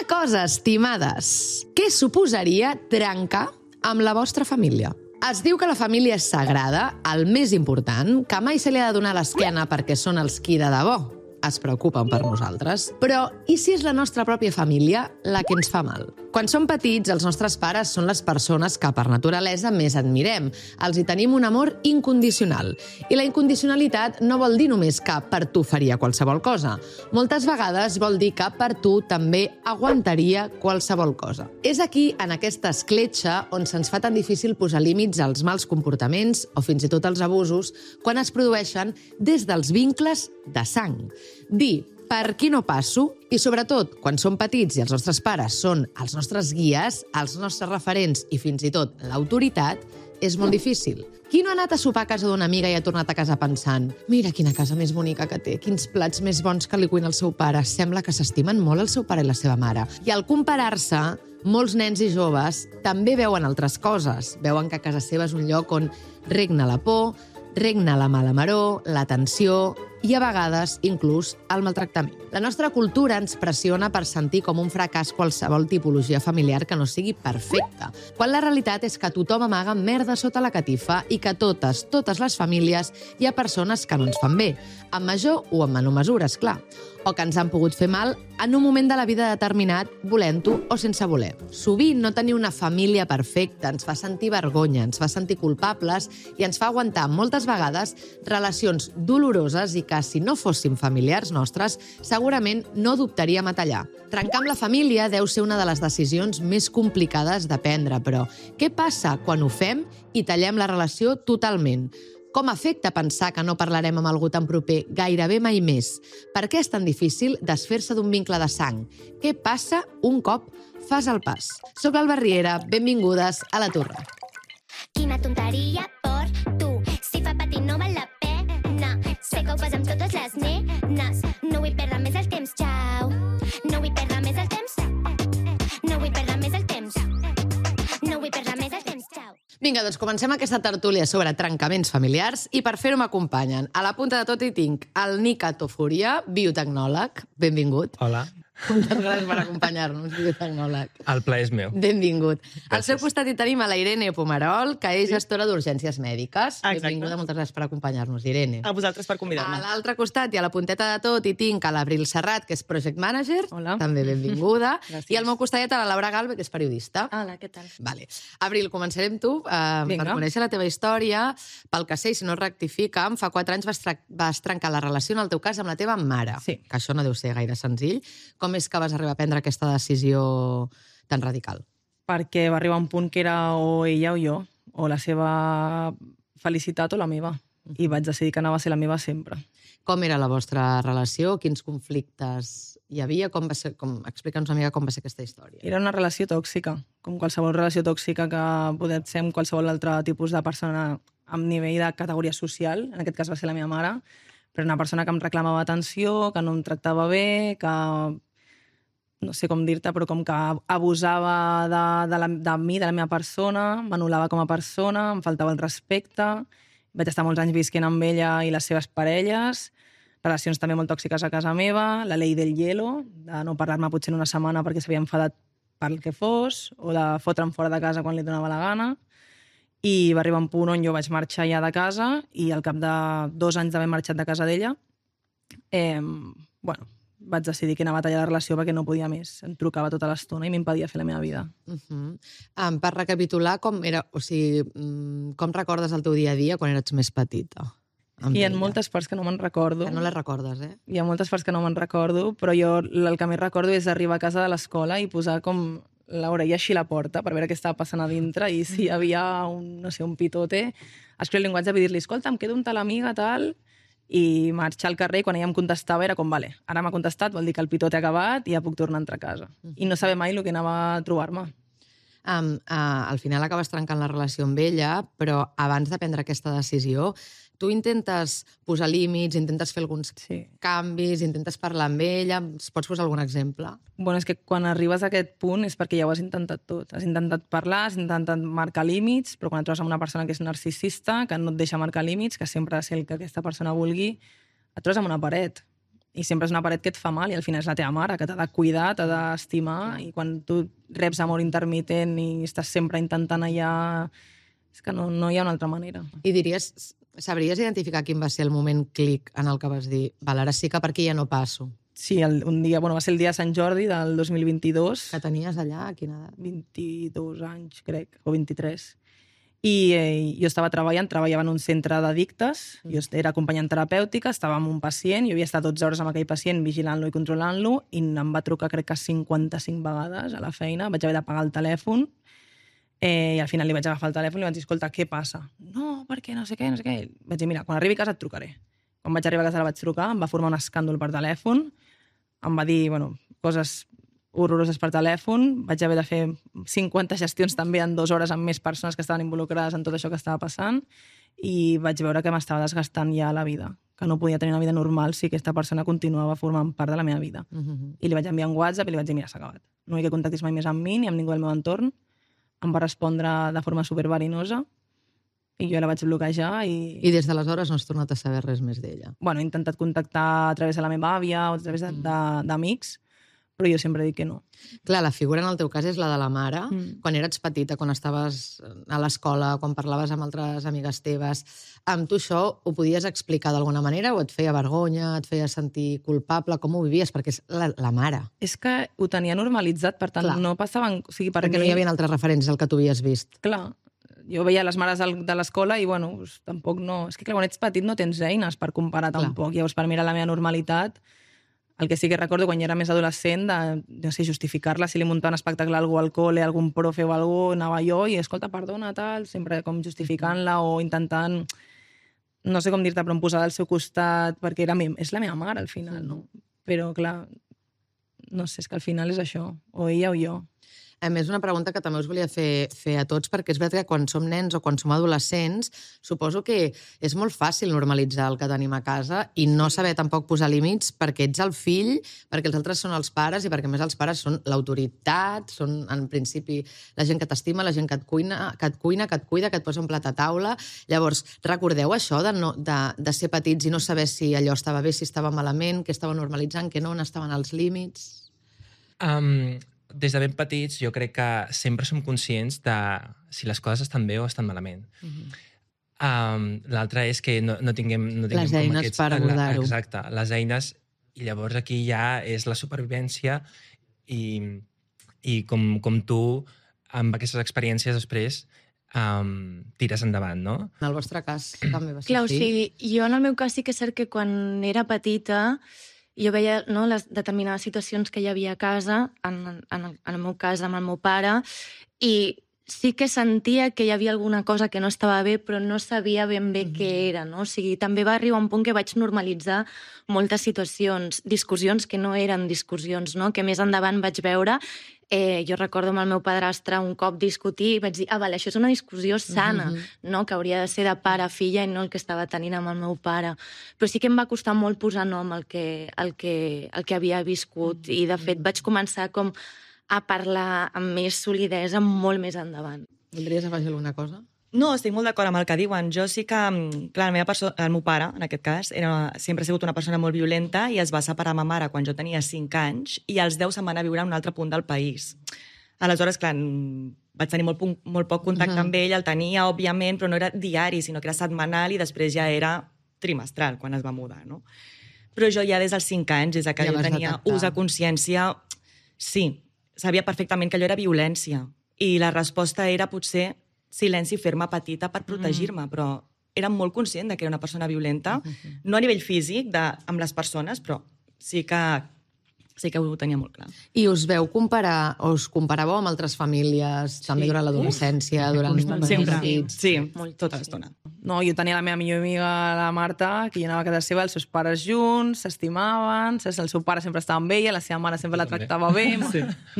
cosa, estimades. Què suposaria trencar amb la vostra família? Es diu que la família és sagrada, el més important, que mai se li ha de donar l'esquena perquè són els qui de debò es preocupen per nosaltres. Però i si és la nostra pròpia família la que ens fa mal? Quan som petits, els nostres pares són les persones que per naturalesa més admirem. Els hi tenim un amor incondicional. I la incondicionalitat no vol dir només que per tu faria qualsevol cosa. Moltes vegades vol dir que per tu també aguantaria qualsevol cosa. És aquí, en aquesta escletxa, on se'ns fa tan difícil posar límits als mals comportaments o fins i tot als abusos quan es produeixen des dels vincles de sang. Dir per qui no passo i, sobretot, quan som petits i els nostres pares són els nostres guies, els nostres referents i fins i tot l'autoritat, és molt difícil. Qui no ha anat a sopar a casa d'una amiga i ha tornat a casa pensant mira quina casa més bonica que té, quins plats més bons que li cuina el seu pare, sembla que s'estimen molt el seu pare i la seva mare. I al comparar-se, molts nens i joves també veuen altres coses. Veuen que casa seva és un lloc on regna la por, regna la mala maror, la tensió i, a vegades, inclús el maltractament. La nostra cultura ens pressiona per sentir com un fracàs qualsevol tipologia familiar que no sigui perfecta, quan la realitat és que tothom amaga merda sota la catifa i que totes les famílies hi ha persones que no ens fan bé, en major o en menor mesura, esclar, o que ens han pogut fer mal en un moment de la vida determinat, volent-ho o sense voler. Sovint no tenir una família perfecta ens fa sentir vergonya, ens fa sentir culpables i ens fa aguantar moltes vegades relacions doloroses i que, si no fóssim familiars nostres, segurament no dubtaríem a tallar. Trencar amb la família deu ser una de les decisions més complicades de prendre, però què passa quan ho fem i tallem la relació totalment? Com afecta pensar que no parlarem amb algú tan proper gairebé mai més? Per què és tan difícil desfer-se d'un vincle de sang? Què passa un cop fas el pas? Soc l'Alba Riera, benvingudes a La Torre. Quina tonteria per tu, si fa patir no val la pena. Sé que ho fas amb totes les nenes, no vull perdre més el temps, xau. No vull perdre més el temps, no vull perdre més el temps, no vull perdre més el temps, xau. Vinga, doncs comencem aquesta tertúlia sobre trencaments familiars i per fer-ho m'acompanyen. A la punta de tot hi tinc el Nika Tofuria, biotecnòleg. Benvingut. Hola. Moltes gràcies per acompanyar-nos, biotecnòleg. El plaer és meu. Benvingut. Gràcies. Al seu costat hi tenim a la Irene Pomerol, que és gestora d'urgències mèdiques. Exacte. Benvinguda, moltes gràcies per acompanyar-nos, Irene. A vosaltres per A convidar-me. l'altre costat i a la punteta de tot hi tinc a l'Abril Serrat, que és project manager. Hola. També benvinguda. Gràcies. I al meu costat a la Laura Galve, que és periodista. Hola, què tal? Vale. Abril, començarem tu per Vinga. conèixer la teva història. Pel que sé, si no rectifica'm, fa 4 anys vas trencar la relació, en el teu cas, amb la teva mare. Sí. Que això no deu ser gaire senzill. Com és que vas arribar a prendre aquesta decisió tan radical? Perquè va arribar un punt que era o ella o jo, o la seva felicitat o la meva. I vaig decidir que anava a ser la meva sempre. Com era la vostra relació? Quins conflictes hi havia? Explica'ns una mica com va ser aquesta història. Era una relació tòxica, com qualsevol relació tòxica que pot ser amb qualsevol altre tipus de persona amb nivell de categoria social. En aquest cas va ser la meva mare, però una persona que em reclamava atenció, que no em tractava bé, que no sé com dir-te, però com que abusava de mi, de la meva persona, m'anul·lava com a persona, em faltava el respecte. Vaig estar molts anys visquent amb ella i les seves parelles, relacions també molt tòxiques a casa meva, la llei del hielo, de no parlar-me potser en una setmana perquè s'havia enfadat pel que fos, o de fotre'm fora de casa quan li donava la gana. I va arribar un punt on jo vaig marxar ja de casa i al cap de 2 anys d'haver marxat de casa d'ella, vaig decidir que anava a tallar la relació perquè no podia més. Em trucava tota l'estona i m'impedia fer la meva vida. Per recapitular, com recordes el teu dia a dia quan eres més petita? Hi ha moltes parts que no me'n recordo. Que no les recordes, eh? Hi ha moltes parts que no me'n recordo, però jo el que més recordo és arribar a casa de l'escola i posar com l'orella així a la porta per veure què estava passant a dintre i si hi havia un pitote, escriure el llenguatge i dir-li, escolta, em quedo amb tal amiga, tal, i marxar al carrer i quan ella em contestava era com, vale, ara m'ha contestat, vol dir que el pitote ha acabat i ja puc tornar a entrar a casa. I no saber mai el que anava a trobar-me. Al final acabes trencant la relació amb ella, però abans de prendre aquesta decisió, tu intentes posar límits, intentes fer alguns canvis, intentes parlar amb ella. Ens pots posar algun exemple? Bueno, és que quan arribes a aquest punt és perquè ja ho has intentat tot. Has intentat parlar, has intentat marcar límits, però quan et trobes amb una persona que és narcisista, que no et deixa marcar límits, que sempre ha de ser el que aquesta persona vulgui, et trobes amb una paret. I sempre és una paret que et fa mal i al final és la teva mare, que t'ha de cuidar, t'ha d'estimar, i quan tu reps amor intermitent i estàs sempre intentant allà... És que no hi ha una altra manera. I sabries identificar quin va ser el moment clic en el que vas dir val, ara sí que per aquí ja no passo? Sí, un dia, va ser el dia de Sant Jordi del 2022. Que tenies allà, a quina edat? 22 anys, crec, o 23. I jo estava treballava en un centre d'addictes, jo era acompanyant terapèutica, estava amb un pacient, jo havia estat 12 hores amb aquell pacient vigilant-lo i controlant-lo, i em va trucar crec que 55 vegades a la feina, vaig haver de pagar el telèfon, i al final li vaig agafar el telèfon i li vaig dir, escolta, què passa? No, perquè no sé què. Vaig dir, mira, quan arribi a casa et trucaré. Quan vaig arribar a casa la vaig trucar, em va formar un escàndol per telèfon, em va dir, coses horroroses per telèfon, vaig haver de fer 50 gestions també en 2 hores amb més persones que estaven involucrades en tot això que estava passant, i vaig veure que m'estava desgastant ja la vida, que no podia tenir una vida normal si aquesta persona continuava formant part de la meva vida. I li vaig enviar un WhatsApp i li vaig dir, mira, s'ha acabat. No vull que contactis mai més amb mi ni amb ningú del meu entorn. Em va respondre de forma superverinosa i jo la vaig bloquejar i... I des d'aleshores no has tornat a saber res més d'ella? He intentat contactar a través de la meva àvia o a través d'amics, però jo sempre dic que no. Clar, la figura en el teu cas és la de la mare. Quan eres petita, quan estaves a l'escola, quan parlaves amb altres amigues teves, amb tu això ho podies explicar d'alguna manera o et feia vergonya, et feia sentir culpable? Com ho vivies? Perquè és la mare. És que ho tenia normalitzat, per tant, no passaven... O sigui, perquè no hi havia altres referents al que tu havies vist. Clar, jo veia les mares de l'escola i, tampoc no... És que, clar, quan ets petit no tens eines per comparar tampoc. Llavors, per mi era la meva normalitat. El que sí que recordo quan jo era més adolescent, no sé, justificar-la, si li muntava un espectacle a algú al col·le, algun profe o algú, anava jo i, escolta, perdona, tal, sempre com justificant-la o intentant, no sé com dir-te, però em posava al seu costat, perquè és la meva mare, al final, no? Però, clar, no sé, és que al final és això, o ella o jo. A més, una pregunta que també us volia fer a tots, perquè és veritat que quan som nens o quan som adolescents, suposo que és molt fàcil normalitzar el que tenim a casa i no saber tampoc posar límits perquè ets el fill, perquè els altres són els pares i perquè, a més, els pares són l'autoritat, són, en principi, la gent que t'estima, la gent que et cuina, que et cuida, que et posa un plat a taula. Llavors, recordeu això de ser petits i no saber si allò estava bé, si estava malament, què estava normalitzant, què no, on estaven els límits? Des de ben petits jo crec que sempre som conscients de si les coses estan bé o estan malament. L'altre és que no tinguem les eines per abordar-ho. Exacte, les eines, i llavors aquí ja és la supervivència i com tu, amb aquestes experiències després, tires endavant, no? En el vostre cas també va ser Clar, així? Sí, jo en el meu cas sí que és cert que quan era petita jo veia les determinades situacions que hi havia a casa, en el meu cas amb el meu pare, i sí que sentia que hi havia alguna cosa que no estava bé, però no sabia ben bé què era, no? O sigui, també va arribar un punt que vaig normalitzar moltes situacions, discussions que no eren discussions, no? Que més endavant vaig veure. Jo recordo amb el meu padrastre un cop discutir i vaig dir, vale, això és una discussió sana, no? Que hauria de ser de pare a filla i no el que estava tenint amb el meu pare. Però sí que em va costar molt posar nom al que havia viscut i, de fet, vaig començar com a parlar amb més solidesa molt més endavant. Voldries afegir alguna cosa? No, estic molt d'acord amb el que diuen. Jo sí que, clar, el meu pare, en aquest cas, sempre ha sigut una persona molt violenta i es va separar amb ma mare quan jo tenia 5 anys i als 10 se'n va anar a viure a un altre punt del país. Aleshores, clar, vaig tenir molt poc contacte amb ell, el tenia, òbviament, però no era diari, sinó que era setmanal i després ja era trimestral, quan es va mudar, no? Però jo ja des dels 5 anys, des que jo tenia ús de consciència, sí, sabia perfectament que allò era violència i la resposta era potser silenci i fer-me petita per protegir-me, però era molt conscient que era una persona violenta, no a nivell físic amb les persones, però sí que ho tenia molt clar. I us veu comparar, o us comparàveu amb altres famílies, també durant l'adolescència, durant... Sempre, sí, tota l'estona. No, jo tenia la meva millor amiga, la Marta, que jo anava a casa seva, els seus pares junts, s'estimaven, el seu pare sempre estava amb ella, la seva mare sempre la tractava bé,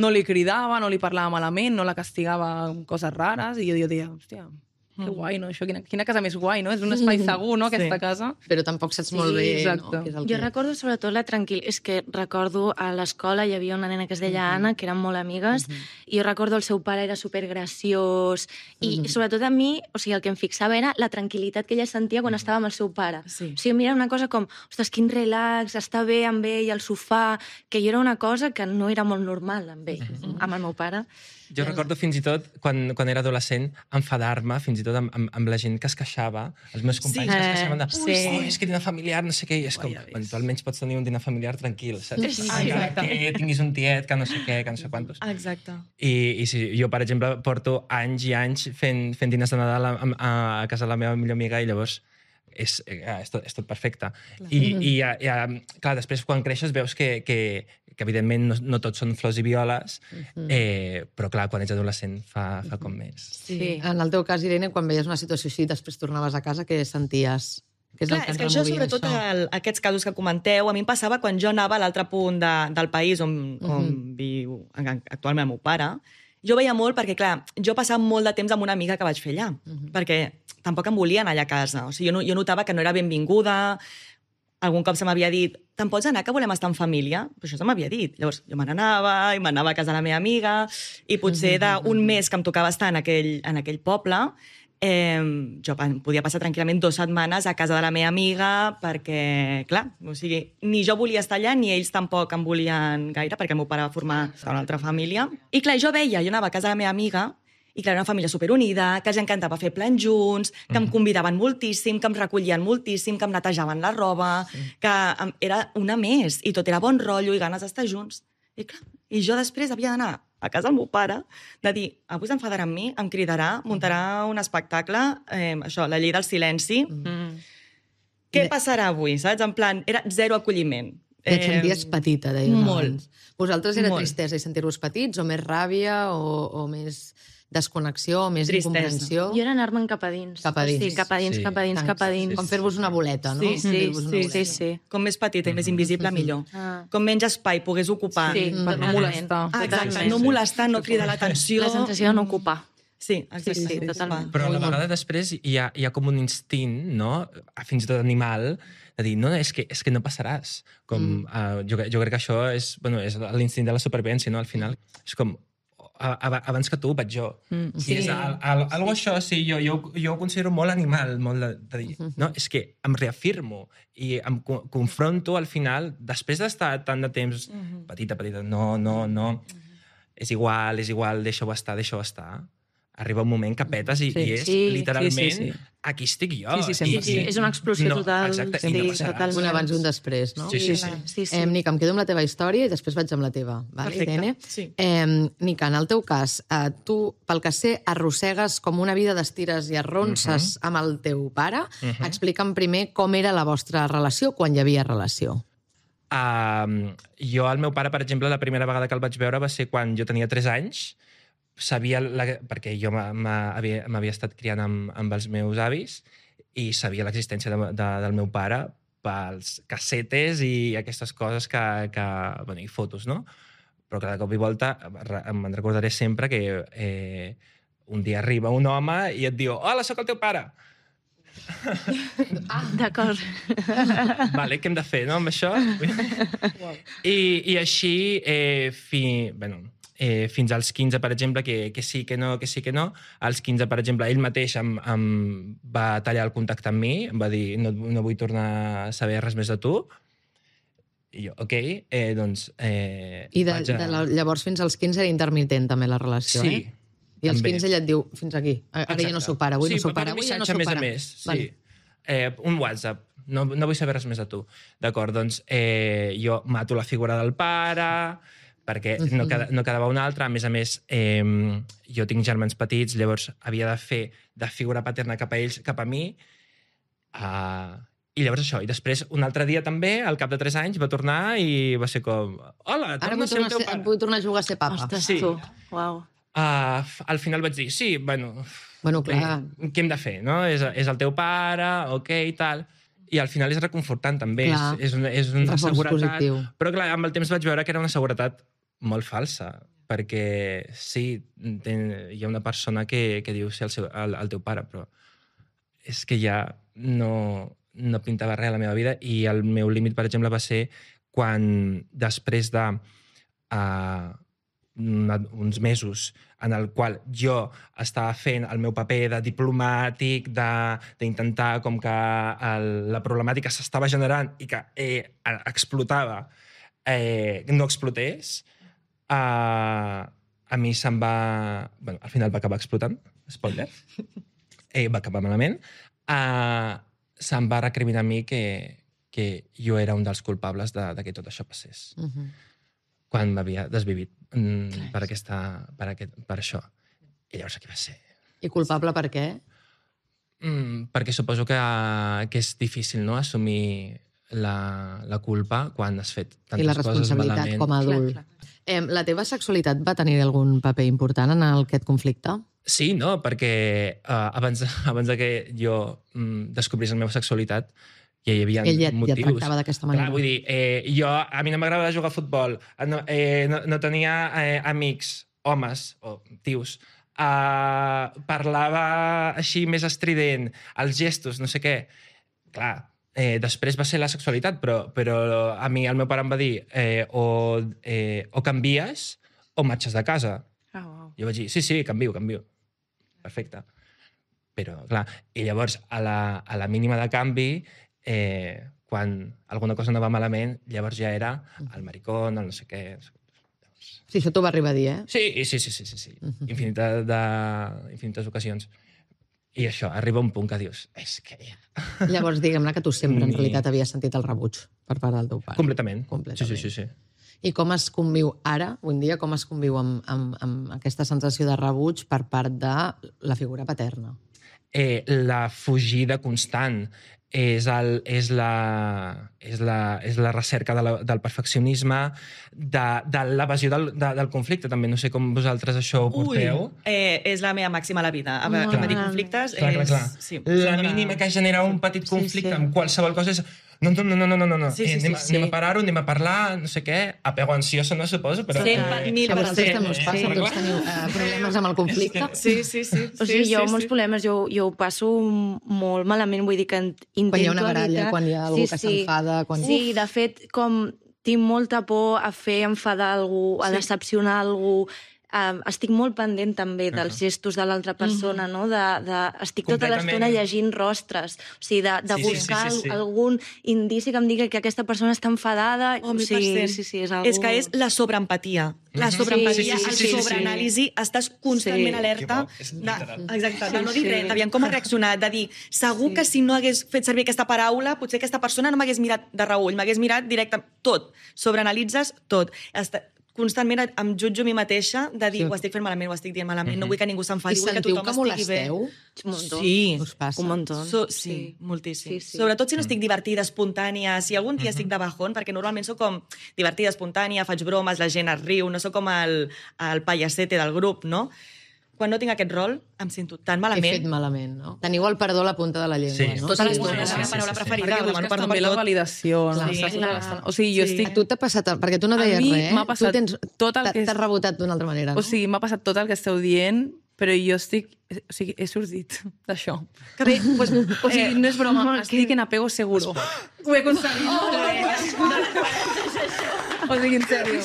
no li cridava, no li parlava malament, no la castigava amb coses rares, i jo deia, hòstia, Que guai, no? Això, quina casa més guai, no? És un espai segur, no?, aquesta casa. Però tampoc saps molt bé, exacte. no? Què és el Jo que... recordo sobretot la tranquil·litat. És que recordo a l'escola hi havia una nena que es deia Anna, que eren molt amigues, i jo recordo el seu pare era supergraciós, i sobretot a mi, o sigui, el que em fixava era la tranquil·litat que ella sentia quan estava amb el seu pare. Sí. O sigui, mira, una cosa com, ostres, quin relax, està bé amb ell al sofà, que jo era una cosa que no era molt normal amb ell, amb el meu pare. Jo recordo fins i tot, quan era adolescent, enfadar-me fins i tot amb la gent que es queixava, els meus companys que es queixaven de és que dinar familiar, no sé què, i és com, bueno, tu almenys pots tenir un dinar familiar tranquil, saps? Encara que tinguis un tiet, que no sé què, que no sé quantos. Exacte. I sí, jo, per exemple, porto anys i anys fent diners de Nadal a casa de la meva millor amiga i llavors és tot perfecte. I clar, després quan creixes veus que evidentment no tots són flors i violes, però clar, quan ets adolescent fa com més. Sí. En el teu cas, Irene, quan veies una situació així, després tornaves a casa, què senties? Què és Clar, el que és que et això, removia, sobretot aquests casos que comenteu, a mi em passava quan jo anava a l'altre punt del país on viu actualment el meu pare. Jo veia molt perquè, clar, jo passava molt de temps amb una amiga que vaig fer allà, perquè tampoc em volien allà a casa. O sigui, jo notava que no era benvinguda. Algun cop se m'havia dit, te'n pots anar, que volem estar en família? Però això se m'havia dit. Llavors, jo me n'anava, i m'anava a casa de la meva amiga, i potser d'un mes que em tocava estar en aquell poble, jo podia passar tranquil·lament 2 setmanes a casa de la meva amiga perquè, clar, o sigui, ni jo volia estar allà ni ells tampoc em volien gaire perquè el meu pare va formar una altra família. I clar, jo anava a casa de la meva amiga i clar, era una família superunida, que els encantava fer plans junts, que em convidaven moltíssim, que em recollien moltíssim, que em netejaven la roba, que era una més, i tot era bon rotllo i ganes d'estar junts. I clar, i jo després havia d'anar a casa del meu pare, de dir, avui s'enfadarà amb mi, em cridarà, muntarà un espectacle, això, la llei del silenci. Què passarà avui, saps? En plan, era zero acolliment. Et senties petita, deies molt. abans. Vosaltres era Molt. tristesa i sentir-vos petits, o més ràbia, o més desconnexió, o més Tristesa. incomprensió? Jo era anar-me'n cap a dins. Cap a dins. Sí, cap a dins, Sí. cap a dins, cap a dins. Com fer-vos una boleta, no? Sí, Fer-vos una boleta. Sí. Com més petita i més invisible, millor. Ah. Com menys espai pogués ocupar. Sí, Per no totalment. molestar. Exacte, Totalment. no molestar, no cridar l'atenció. La sensació de no ocupar. Sí, exacte. Sí, totalment. Però a la vegada després hi ha com un instint, no? Fins i tot animal, de dir, no, és que no passaràs. Jo crec que això és l'instint de la supervivència, no? Al final és com, abans que tu vaig jo. Sí. I és algo això, sí, jo ho considero molt animal, molt de dir, no, és que em reafirmo i em confronto al final, després d'estar tant de temps petita, no, és igual, deixa-ho estar. Arriba un moment que petes i és literalment sí. aquí estic jo. Sí, sempre. Sí, és una explosió total. Exacte, Sí, i no passarà. totalment. Un abans i un després, no? Sí. Nica, em quedo amb la teva història i després vaig amb la teva. Vale, Perfecte, Irene? sí. Nica, en el teu cas, tu, pel que sé, arrossegues com una vida d'estires i arronses amb el teu pare. Explica'm primer com era la vostra relació, quan hi havia relació. Jo, el meu pare, per exemple, la primera vegada que el vaig veure va ser quan jo tenia 3 anys. Sabia, perquè jo m'havia estat criant amb els meus avis i sabia l'existència del meu pare pels cassetes i aquestes coses i fotos, no? Però cada cop i volta me'n recordaré sempre que un dia arriba un home i et diu «Hola, sóc el teu pare!» D'acord. Vale, què hem de fer, no, amb això? I així, fins als 15, per exemple, que sí, que no. Als 15, per exemple, ell mateix em va tallar el contacte amb mi, em va dir no vull tornar a saber res més de tu. I jo, ok, doncs... I llavors fins als 15 era intermitent també la relació, Sí, eh? I als també. 15 ella et diu, fins aquí, ara ja no sóc pare, avui no sóc pare, avui ja no sóc més pare. a més, sí. Vale. Un WhatsApp, no vull saber res més de tu. D'acord, doncs jo mato la figura del pare, perquè no quedava un altre. A més, jo tinc germans petits, llavors havia de fer de figura paterna cap a ells, cap a mi. I llavors això. I després, un altre dia també, al cap de 3 anys, va tornar i va ser com... Hola, Ara torna a ser el teu pare. vull tornar a jugar a ser papa. Ostres, Sí. tu. Uau. Al final vaig dir, sí, Bueno, bé, clar. què hem de fer, no? És el teu pare, ok, i tal. I al final és reconfortant, també. Clar. És una Reforç seguretat. positiu. Però, clar, amb el temps vaig veure que era una seguretat molt falsa. perquè sí, hi ha una persona que diu ser el teu pare, però és que ja no pintava res a la meva vida i el meu límit, per exemple, va ser quan després de uns mesos en el qual jo estava fent el meu paper de diplomàtic, d'intentar com que la problemàtica s'estava generant i que explotava, no explotés, a mi se'm va... Bueno, al final va acabar explotant, spoiler, va acabar malament, se'm va recriminar a mi que jo era un dels culpables de que tot això passés. Quan m'havia desvivit per això. I llavors aquí va ser. I culpable per què? Perquè suposo que és difícil, no?, assumir la culpa quan has fet tantes coses malament. I la responsabilitat com a adult. La teva sexualitat va tenir algun paper important en aquest conflicte? Sí, no, perquè abans de que jo descobrís la meva sexualitat, ja hi havia motius. Ell ja tractava d'aquesta manera. Clar, vull dir, a mi no m'agradava jugar a futbol, no tenia amics, homes o tios, parlava així més estrident, els gestos, no sé què. Clar, després va ser la sexualitat, però a mi el meu pare em va dir o canvies o marxes de casa. Jo vaig dir, sí, canvio. Perfecte. Però, clar, i llavors, a la mínima de canvi, quan alguna cosa no va malament, llavors ja era el maricón, el no sé què... Sí, això t'ho va arribar a dir, eh? Sí. Infinites ocasions. I això, arriba un punt que dius, és que ja... Llavors, diguem-ne que tu sempre, en realitat, havies sentit el rebuig per part del teu pare. Completament. Sí. I com es conviu ara, avui en dia, com es conviu amb aquesta sensació de rebuig per part de la figura paterna? La fugida constant és la recerca del perfeccionisme, de l'evasió del conflicte, també. No sé com vosaltres això ho porteu. És la meva màxima a la vida. Evadir conflictes és... Clar. Sí, la mínima que genera un petit conflicte amb qualsevol cosa és... No. Anem a parar-ho, anem a parlar, no sé què. Apego ansioso, no suposo, però... A vosaltres també us passa, tots teniu problemes amb el conflicte? Sí. O sigui, jo molts problemes, jo ho passo molt malament, vull dir que intento... Quan hi ha una baralla, quan hi ha algú que s'enfada... Sí, de fet, com tinc molta por a fer enfadar algú, a decepcionar algú... Estic molt pendent també dels gestos de l'altra persona, no? Estic tota l'estona llegint rostres, o sigui, de buscar algun indici que em digui que aquesta persona està enfadada. Sí, és algo... És que és la sobreempatia. La sobreempatia, el sobreanàlisi, estàs constantment alerta de no dir res, aviam com ha reaccionat, de dir, segur que si no hagués fet servir aquesta paraula, potser aquesta persona no m'hagués mirat de reull, m'hagués mirat directe, tot. Sobreanalitzes tot. Constantment em jutjo a mi mateixa de dir, ho estic fent malament, ho estic dient malament, no vull que ningú s'enfadi, vull que tothom estigui bé. I sentiu que molesteu? Sí. Us passa? Un muntó. Sí, moltíssim. Sobretot si no estic divertida, espontània, si algun dia estic de bajón, perquè normalment sóc com divertida, espontània, faig bromes, la gent es riu, no sóc com el payasete del grup, no? Quan no tinc aquest rol, em sento tan malament. He fet malament, no? Teniu el perdó a la punta de la llengua, no? Tota l'estona, la meva paraula preferida. Perquè busques també la validació. O sigui, jo estic... A tu t'ha passat... Perquè tu no deies res, eh? M'ha passat tot el que... T'has rebotat d'una altra manera, no? O sigui, m'ha passat tot el que esteu dient, però jo estic... O sigui, he sortit d'això. Que bé, o sigui, no és broma, estic en apego seguro. Ho he aconseguit. O sigui, en sèrio.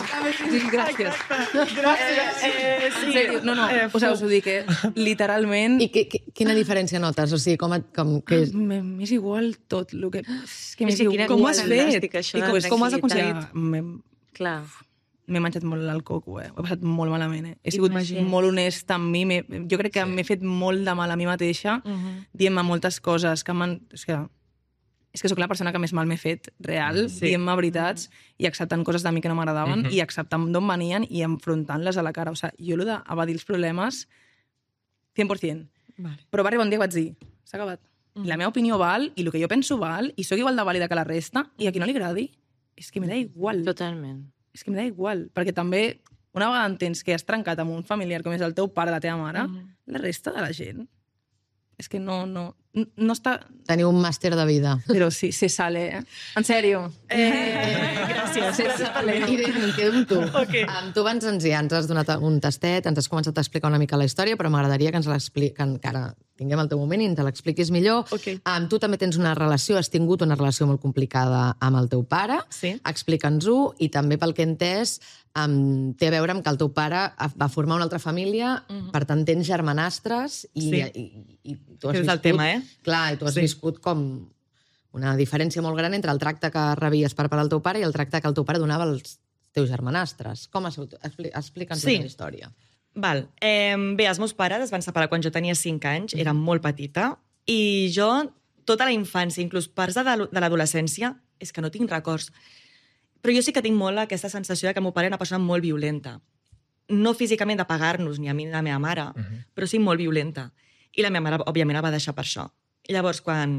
Gràcies. En sèrio, no. O sigui, us ho dic, literalment... I quina diferència notes? O sigui, M'és igual tot. Com ho has fet? Com ho has aconseguit? Clar. M'he menjat molt el coco, Ho he passat molt malament, He sigut molt honest amb mi. Jo crec que m'he fet molt de mal a mi mateixa, dient-me moltes coses que m'han... És que sóc la persona que més mal m'he fet, real, dient-me veritats i acceptant coses de mi que no m'agradaven i acceptant d'on venien i enfrontant-les a la cara. O sigui, jo l'he d'evadir els problemes 100%. Però va arribar un dia que vaig dir, s'ha acabat. La meva opinió val i el que jo penso val i sóc igual de vàlida que la resta i a qui no li agradi és que me da igual. Totalment. És que me da igual, perquè també una vegada entens que has trencat amb un familiar com és el teu pare, la teva mare, la resta de la gent és que no No està... Teniu un màster de vida. Però sí, se sale, eh? En sèrio. Gràcies. Se sale. Irene, em quedo amb tu. Ok. Tu ens has donat un tastet, ens has començat a explicar una mica la història, però m'agradaria que ens l'expliqui, que encara tinguem el teu moment i ens l'expliquis millor. Ok. Tu també tens una relació, has tingut una relació molt complicada amb el teu pare. Sí. Explica'ns-ho, i també pel que he entès, té a veure amb que el teu pare va formar una altra família, per tant tens germanastres i tu has És el viscut... tema, eh? Clar, i tu has viscut com una diferència molt gran entre el tracte que rebies per part del teu pare i el tracte que el teu pare donava als teus germanastres. Com ha sigut? Explica'ns la història. Val. Bé, els meus pares es van separar quan jo tenia 5 anys, era molt petita, i jo, tota la infància, inclús parts de l'adolescència, és que no tinc records. Però jo sí que tinc molt aquesta sensació de que el meu pare era una persona molt violenta. No físicament de pegar-nos, ni a mi ni a la meva mare, però sí molt violenta. I la meva mare, òbviament, la va deixar per això. I llavors, quan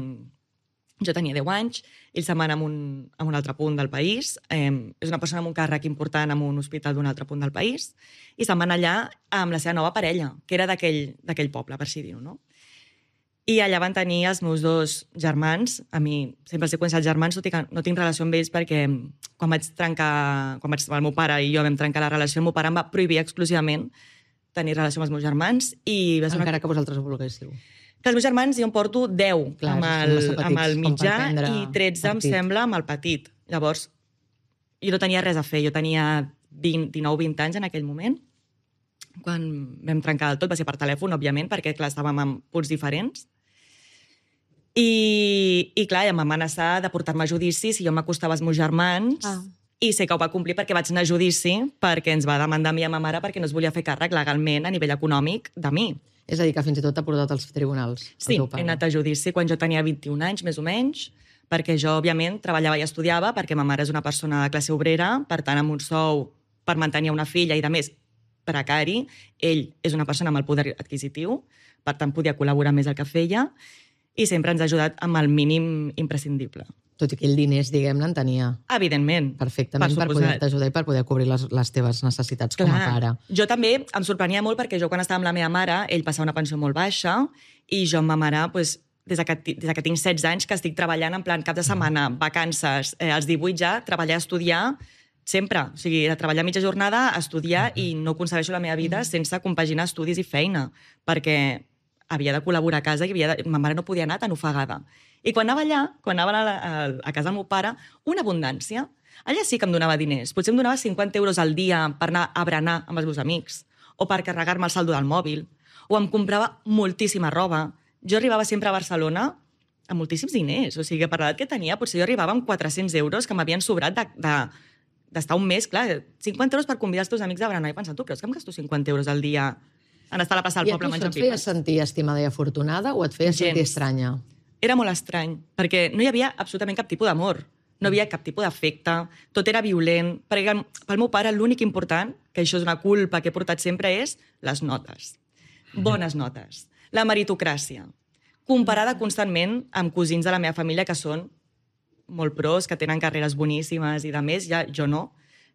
jo tenia 10 anys, ell se'n va anar a un altre punt del país, és una persona amb un càrrec important en un hospital d'un altre punt del país, i se'n va anar allà amb la seva nova parella, que era d'aquell poble, per així dir-ho, no? I allà van tenir els meus 2 germans. A mi sempre els he considerat germans, tot i que no tinc relació amb ells perquè quan el meu pare i jo vam trencar la relació, el meu pare em va prohibir exclusivament tenir relació amb els meus germans. I va ser Encara que vosaltres ho volguéssiu. Que els meus germans jo em porto 10 Clar, amb el mitjà i 13, em partit. sembla, amb el petit. Llavors, jo no tenia res a fer. Jo tenia 19-20 anys en aquell moment. Quan vam trencar del tot va ser per telèfon, òbviament, perquè, clar, estàvem en punts diferents. I clar, em van amenaçar de portar-me a judici si jo m'acostava als meus germans. I sé que ho va complir perquè vaig anar a judici, perquè ens va demandar a mi i a ma mare perquè no es volia fer càrrec legalment a nivell econòmic de mi. És a dir, que fins i tot t'ha portat als tribunals. Sí, he anat a judici quan jo tenia 21 anys, més o menys, perquè jo, òbviament, treballava i estudiava, perquè ma mare és una persona de classe obrera, per tant, amb un sou per mantenir una filla i, de més, precari. Ell és una persona amb el poder adquisitiu, per tant, podia col·laborar més el que feia, i sempre ens ha ajudat amb el mínim imprescindible. Tot i que ell diners, diguem-ne, en tenia Evidentment. perfectament per poder-te ajudar i per poder cobrir les teves necessitats com a pare. Jo també em sorprenia molt perquè jo quan estava amb la meva mare, ell passava una pensió molt baixa i jo amb ma mare, des que tinc 16 anys, que estic treballant en plan cap de setmana, vacances, als 18 ja, treballar, estudiar, sempre. O sigui, de treballar mitja jornada, estudiar i no concebeixo la meva vida sense compaginar estudis i feina, perquè havia de col·laborar a casa i ma mare no podia anar tan ofegada. I quan anava allà, quan anava a casa del meu pare, una abundància. Allà sí que em donava diners. Potser em donava 50 euros al dia per anar a berenar amb els meus amics, o per carregar-me el saldo del mòbil, o em comprava moltíssima roba. Jo arribava sempre a Barcelona amb moltíssims diners. O sigui, per l'edat que tenia, potser jo arribava amb 400 euros que m'havien sobrat d'estar un mes. Clar, 50 euros per convidar els teus amics a berenar. I pensant, tu creus que em gasto 50 euros al dia en estar a la plaça del poble menjant pipes? I a tu això et feia sentir estimada i afortunada o et feia sentir estranya? Era molt estrany, perquè no hi havia absolutament cap tipus d'amor. No hi havia cap tipus d'afecte, tot era violent. Perquè pel meu pare l'únic important, que això és una culpa que he portat sempre, és les notes. Bones notes. La meritocràcia. Comparada constantment amb cosins de la meva família que són molt pros, que tenen carreres boníssimes i de més, ja jo no.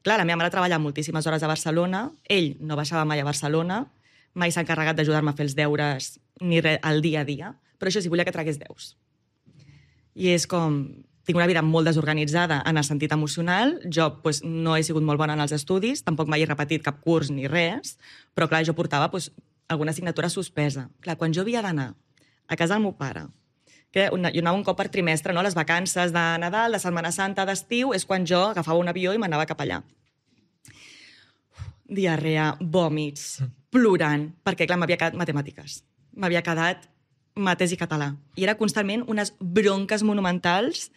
Clar, la meva mare treballa moltíssimes hores a Barcelona, ell no baixava mai a Barcelona, mai s'ha encarregat d'ajudar-me a fer els deures ni res al dia a dia, però això sí, volia que tragués 10. I és com... Tinc una vida molt desorganitzada en el sentit emocional. Jo no he sigut molt bona en els estudis, tampoc mai he repetit cap curs ni res, però clar, jo portava alguna assignatura suspesa. Clar, quan jo havia d'anar a casa del meu pare, que jo anava un cop per trimestre, no? Les vacances de Nadal, de Setmana Santa, d'estiu, és quan jo agafava un avió i m'anava cap allà. Diarrea, vòmits, plorant, perquè clar, m'havia quedat matemàtiques. M'havia quedat matès i català. I era constantment unes bronques monumentals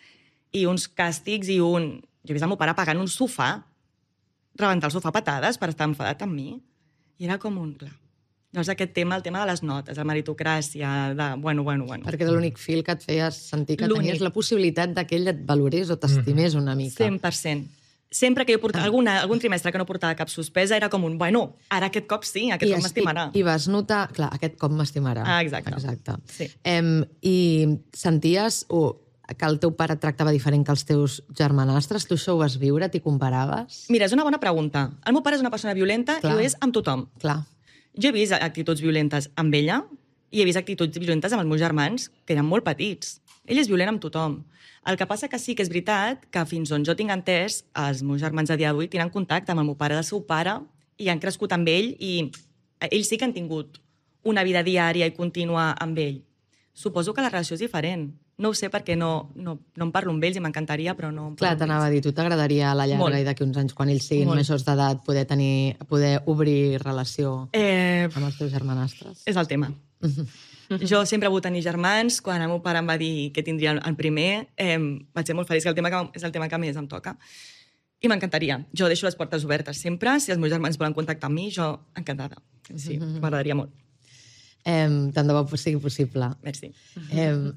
i uns càstigs i Jo he vist el meu pare pagant un sofà, rebentar el sofà a patades per estar enfadat amb mi. I era com un... Clar. Llavors aquest tema, el tema de les notes, la meritocràcia, de... Bueno. Perquè era l'únic fil que et feia sentir que tenies la possibilitat que ell et valorés o t'estimés una mica. 100%. Sempre que jo portava algun trimestre que no portava cap suspesa, era com un, ara aquest cop sí, aquest cop m'estimarà. I vas notar, clar, aquest cop m'estimarà. Exacte. Sí. I senties que el teu pare et tractava diferent que els teus germanastres? Tu això ho vas viure? T'hi comparaves? Mira, és una bona pregunta. El meu pare és una persona violenta i ho és amb tothom. Clar. Jo he vist actituds violentes amb ella, I he vist actituds violentes amb els meus germans, que eren molt petits. Ell és violent amb tothom. El que passa que sí que és veritat que fins on jo tinc entès, els meus germans a dia d'avui tenen contacte amb el meu pare del seu pare i han crescut amb ell i ells sí que han tingut una vida diària i contínua amb ell. Suposo que la relació és diferent. No ho sé perquè no em parlo amb ells i m'encantaria, però no... Clar, t'anava a dir, tu t'agradaria a la llarga i d'aquí uns anys, quan ells siguin majors d'edat, poder obrir relació amb els teus germanastres? És el tema. Jo sempre he volgut tenir germans. Quan el meu pare em va dir que tindria el primer, vaig ser molt feliç, que és el tema que més em toca. I m'encantaria. Jo deixo les portes obertes sempre. Si els meus germans volen contactar amb mi, jo encantada. Sí, m'agradaria molt. Tant de bo sigui possible. Merci.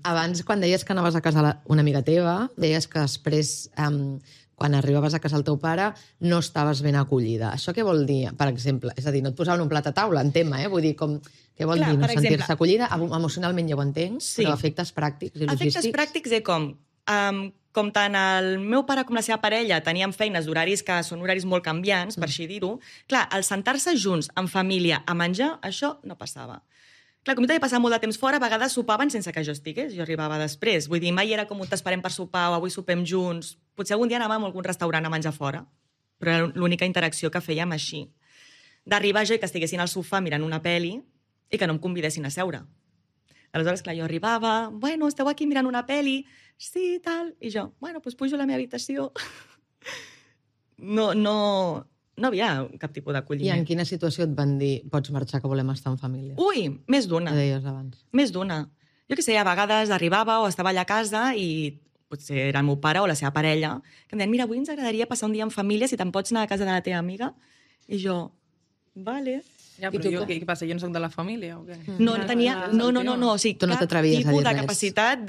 Abans, quan deies que anaves a casa una amiga teva, deies que després, quan arribaves a casa el teu pare, no estaves ben acollida. Això què vol dir, per exemple? És a dir, no et posaven un plat a taula, en tema, Vull dir, què vol dir no sentir-se acollida? Emocionalment ja ho entenc, però efectes pràctics i logístics... Efectes pràctics com tant el meu pare com la seva parella teníem feines d'horaris que són horaris molt canviants, per així dir-ho. Clar, el sentar-se junts, en família, a menjar, això no passava. Clar, com jo havia passat molt de temps fora, a vegades sopaven sense que jo estigués, jo arribava després. Vull dir, mai era com t'esperem per sopar o avui sopem junts. Potser algun dia anàvem a algun restaurant a menjar fora, però era l'única interacció que fèiem així. D'arribar jo i que estiguessin al sofà mirant una peli i que no em convidessin a seure. Aleshores, clar, jo arribava, bueno, esteu aquí mirant una peli, sí, tal, i jo, bueno, doncs pujo a la meva habitació. No havia cap tipus d'acolliment. I en quina situació et van dir pots marxar, que volem estar en família? Ui, més d'una. Què deies abans? Més d'una. Jo què sé, a vegades arribava o estava allà a casa i potser era el meu pare o la seva parella que em deien, mira, avui ens agradaria passar un dia en família, si te'n pots anar a casa de la teva amiga. I jo, vale. Ja, però jo, què passa? Jo no soc de la família o què? No tenia... No. O sigui, tu no cap t'atrevies a dir tipus de res. capacitat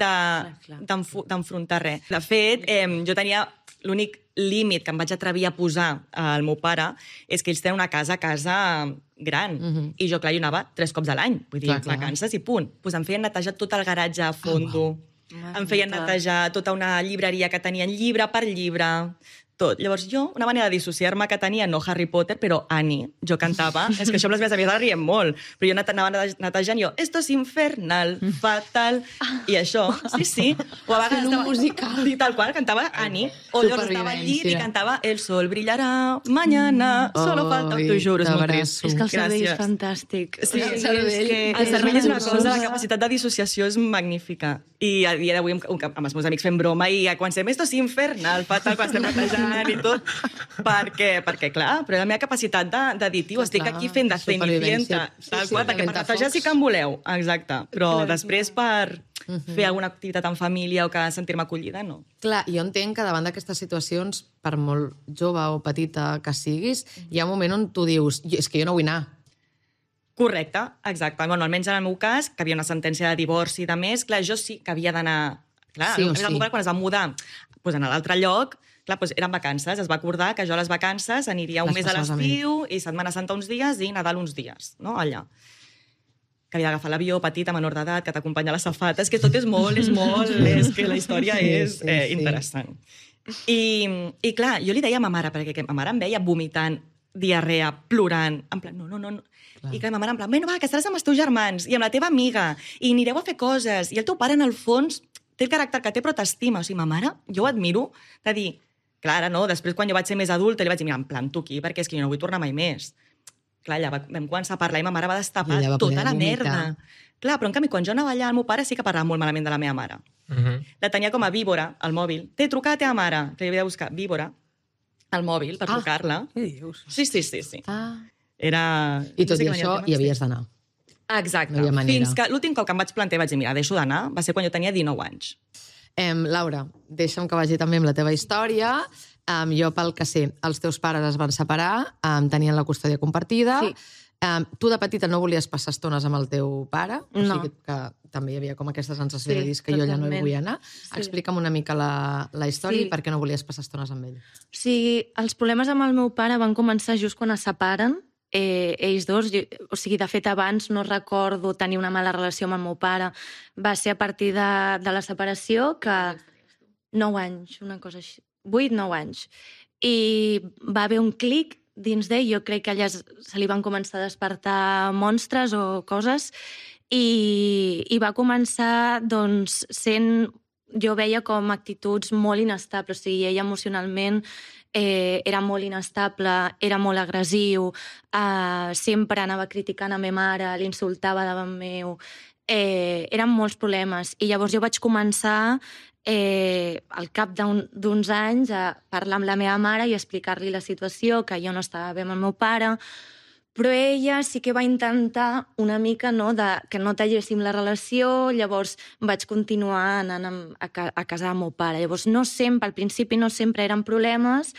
d'enfrontar res. De fet, jo tenia... L'únic límit que em vaig atrevir a posar al meu pare és que ells tenen una casa gran. I jo, clar, hi anava 3 cops a l'any. Vull dir, vacances i punt. Pues em feien netejar tot el garatge a fondo. Em feien netejar tota una llibreria que tenien llibre per llibre. Tot. Llavors jo, una manera de dissociar-me que tenia, no Harry Potter, però Annie, jo cantava, és que això amb les meves amigues riem molt, però jo anava netejant jo, esto es infernal, fatal, i això, sí, o a vegades un musical. Sí, tal qual, cantava Annie, o llavors estava al llit i cantava El sol brillarà mañana, solo falta, t'ho juro, és molt trist. És que el cervell és fantàstic. Sí, el cervell és una cosa, la capacitat de dissociació és magnífica. I a dia d'avui amb els meus amics fem broma i quan estem, esto es infernal, fatal, quan estem netejant i tot, perquè clar, però la meva capacitat de dir, tio, estic aquí fent de cenicienta, tal qual, perquè per netejar sí que em voleu, exacte, però després per fer alguna activitat en família o que sentir-me acollida, no. Clar, jo entenc que davant d'aquestes situacions, per molt jove o petita que siguis, hi ha un moment on tu dius, és que jo no vull anar. Correcte, exacte. Bueno, almenys en el meu cas, que havia una sentència de divorci i de més, clar, jo sí que havia d'anar... Clar, sí quan es va mudar doncs, a l'altre lloc, clar, doncs eren vacances. Es va acordar que jo a les vacances aniria un mes a l'estiu i Setmana Santa uns dies i Nadal uns dies, no? Allà. Que havia d'agafar l'avió petita, menor d'edat, que t'acompanya a la safata. És que tot és molt, és que la història és interessant. I clar, jo li deia a ma mare, perquè ma mare em veia vomitant, diarrea, plorant, en plan, no. I que ma mare en plan, bueno, va, que estaràs amb els teus germans i amb la teva amiga i anireu a fer coses. I el teu pare, en el fons, té el caràcter que té, però t'estima. O sigui, ma mare, jo ho admiro, de dir, clar, ara no, després quan jo vaig ser més adulta, li vaig dir, mira, em planto aquí perquè és que jo no vull tornar mai més. Clar, allà vam començar a parlar i ma mare va destapar tota la merda. Clar, però en canvi, quan jo anava allà, el meu pare sí que parlava molt malament de la meva mare. La tenia com a víbora, al mòbil. T'he trucat a teva mare, que li havia de buscar víbora al mòbil per trucar-la. Què dius? Sí. Era... I tot i això hi havies d'anar. Exacte. No fins que l'últim cop que em vaig plantejar vaig dir, mira, deixo d'anar, va ser quan jo tenia 19 anys. Laura, deixa'm que vagi també amb la teva història. Jo, pel que sé, els teus pares es van separar, tenien la custòdia compartida. Sí. Tu de petita no volies passar estones amb el teu pare? No. O sigui que també hi havia com aquesta sensació de dir que jo allà no hi vull anar. Sí. Explica'm una mica la història i per què no volies passar estones amb ell. O sigui, els problemes amb el meu pare van començar just quan es separen, ells dos. O sigui, de fet, abans no recordo tenir una mala relació amb el meu pare. Va ser a partir de la separació que... 9 anys, una cosa així. 8-9 anys. I va haver un clic dins d'ell. Jo crec que allà se li van començar a despertar monstres o coses i va començar doncs, sent... Jo veia com actituds molt inestables, o sigui, ell emocionalment era molt inestable, era molt agressiu, sempre anava criticant a ma mare, l'insultava davant meu, eren molts problemes. I llavors jo vaig començar, al cap d'uns anys, a parlar amb la meva mare i explicar-li la situació, que jo no estava bé amb el meu pare, però ella sí que va intentar una mica que no talléssim la relació, llavors vaig continuar anant a casa del meu pare. Llavors no sempre, al principi no sempre eren problemes,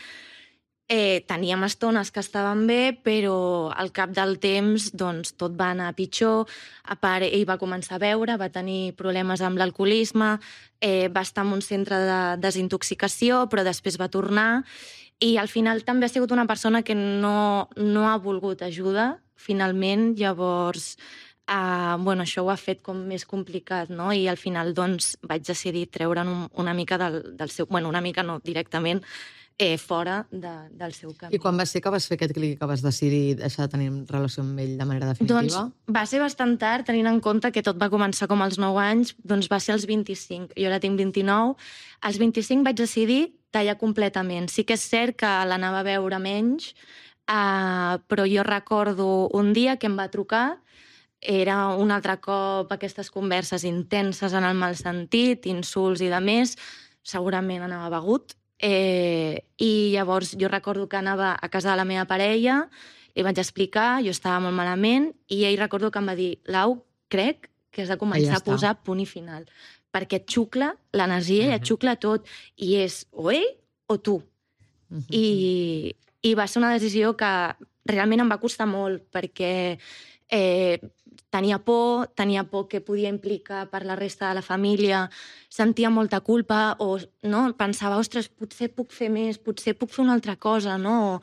teníem estones que estaven bé, però al cap del temps doncs, tot va anar pitjor. A part, ell va començar a beure, va tenir problemes amb l'alcoholisme, va estar en un centre de desintoxicació, però després va tornar. I al final també ha sigut una persona que no ha volgut ajuda, finalment, llavors això ho ha fet com més complicat, no? I al final doncs, vaig decidir treure'n una mica del seu... Bueno, una mica no, directament, fora del seu camí. I quan va ser que vas fer aquest clic, que vas decidir deixar de tenir relació amb ell de manera definitiva? Doncs va ser bastant tard, tenint en compte que tot va començar com als 9 anys, doncs va ser als 25. Jo ara tinc 29. Als 25 vaig decidir tallar completament. Sí que és cert que l'anava a veure menys, però jo recordo un dia que em va trucar, era un altre cop aquestes converses intenses en el mal sentit, insults i de més, segurament anava begut, i llavors jo recordo que anava a casa de la meva parella, li vaig explicar, jo estava molt malament, i ell recordo que em va dir, Lau, crec que has de començar a posar punt i final, perquè et xucla l'energia i et xucla tot, i és o ell o tu. I va ser una decisió que realment em va costar molt, perquè tenia por que podia implicar per la resta de la família, sentia molta culpa, o no, pensava, ostres, potser puc fer més, potser puc fer una altra cosa, no?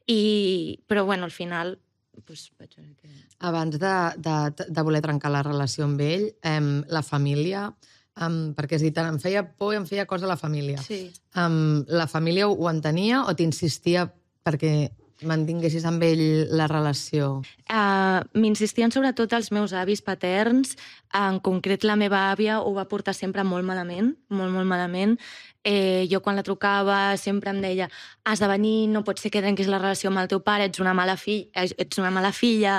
Però, bueno, al final... Doncs, vaig veure que... Abans de voler trencar la relació amb ell, la família... perquè has dit, em feia por i em feia cosa la família. Sí. La família ho entenia o t'insistia perquè mantinguessis amb ell la relació? M'insistien sobretot els meus avis paterns, en concret la meva àvia ho va portar sempre molt malament, molt, molt malament. Jo quan la trucava sempre em deia, has de venir, no pot ser que trenquis la relació amb el teu pare, ets una mala filla.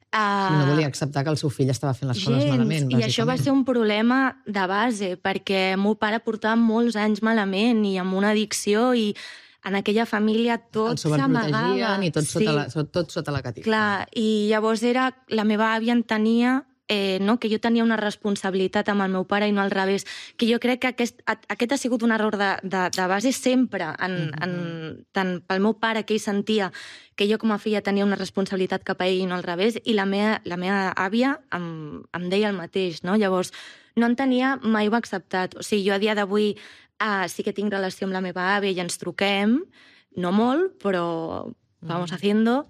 No volia acceptar que el seu fill estava fent les coses malament, bàsicament. I això va ser un problema de base, perquè el meu pare portava molts anys malament i amb una addicció, i en aquella família tot s'amagava. El sobreprotegien i tot sota la catifa. Clar, i llavors la meva àvia entenia que jo tenia una responsabilitat amb el meu pare i no al revés, que jo crec que aquest ha sigut un error de base sempre, tant pel meu pare, que ell sentia que jo com a filla tenia una responsabilitat cap a ell i no al revés, i la meva àvia em deia el mateix, no? Llavors, no en tenia, mai ho ha acceptat. O sigui, jo a dia d'avui sí que tinc relació amb la meva àvia i ens truquem, no molt, però vamos haciendo,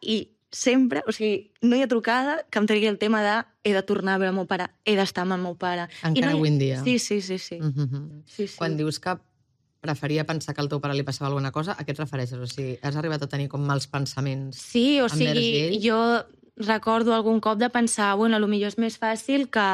i sempre, o sigui, no hi ha trucada que em tregui el tema de he de tornar a veure el meu pare, he d'estar amb el meu pare. Encara avui en dia. Sí. Quan dius que preferia pensar que al teu pare li passava alguna cosa, a què et refereixes? O sigui, has arribat a tenir com mals pensaments? Sí, o sigui, jo recordo algun cop de pensar, bueno, potser és més fàcil que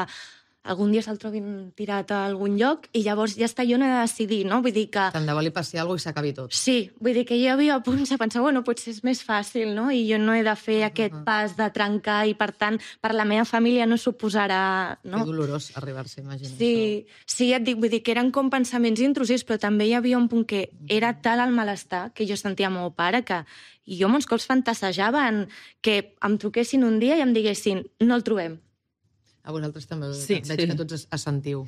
algun dia se'l trobin tirat a algun lloc i llavors ja està, jo no he de decidir, no? Vull dir que... Tant de bo li passi alguna cosa i s'acabi tot. Sí, vull dir que jo havia a punts de pensar, bueno, potser és més fàcil, no? I jo no he de fer aquest pas de trencar i, per tant, per la meva família no suposarà... No? Que dolorós arribar-se, imagina. Sí, ja et dic, vull dir que eren com pensaments intrusius, però també hi havia un punt que era tal el malestar que jo sentia amb el meu pare que jo molts cops fantasejava en que em truquessin un dia i em diguessin no el trobem. A vosaltres també veig que tots assentiu.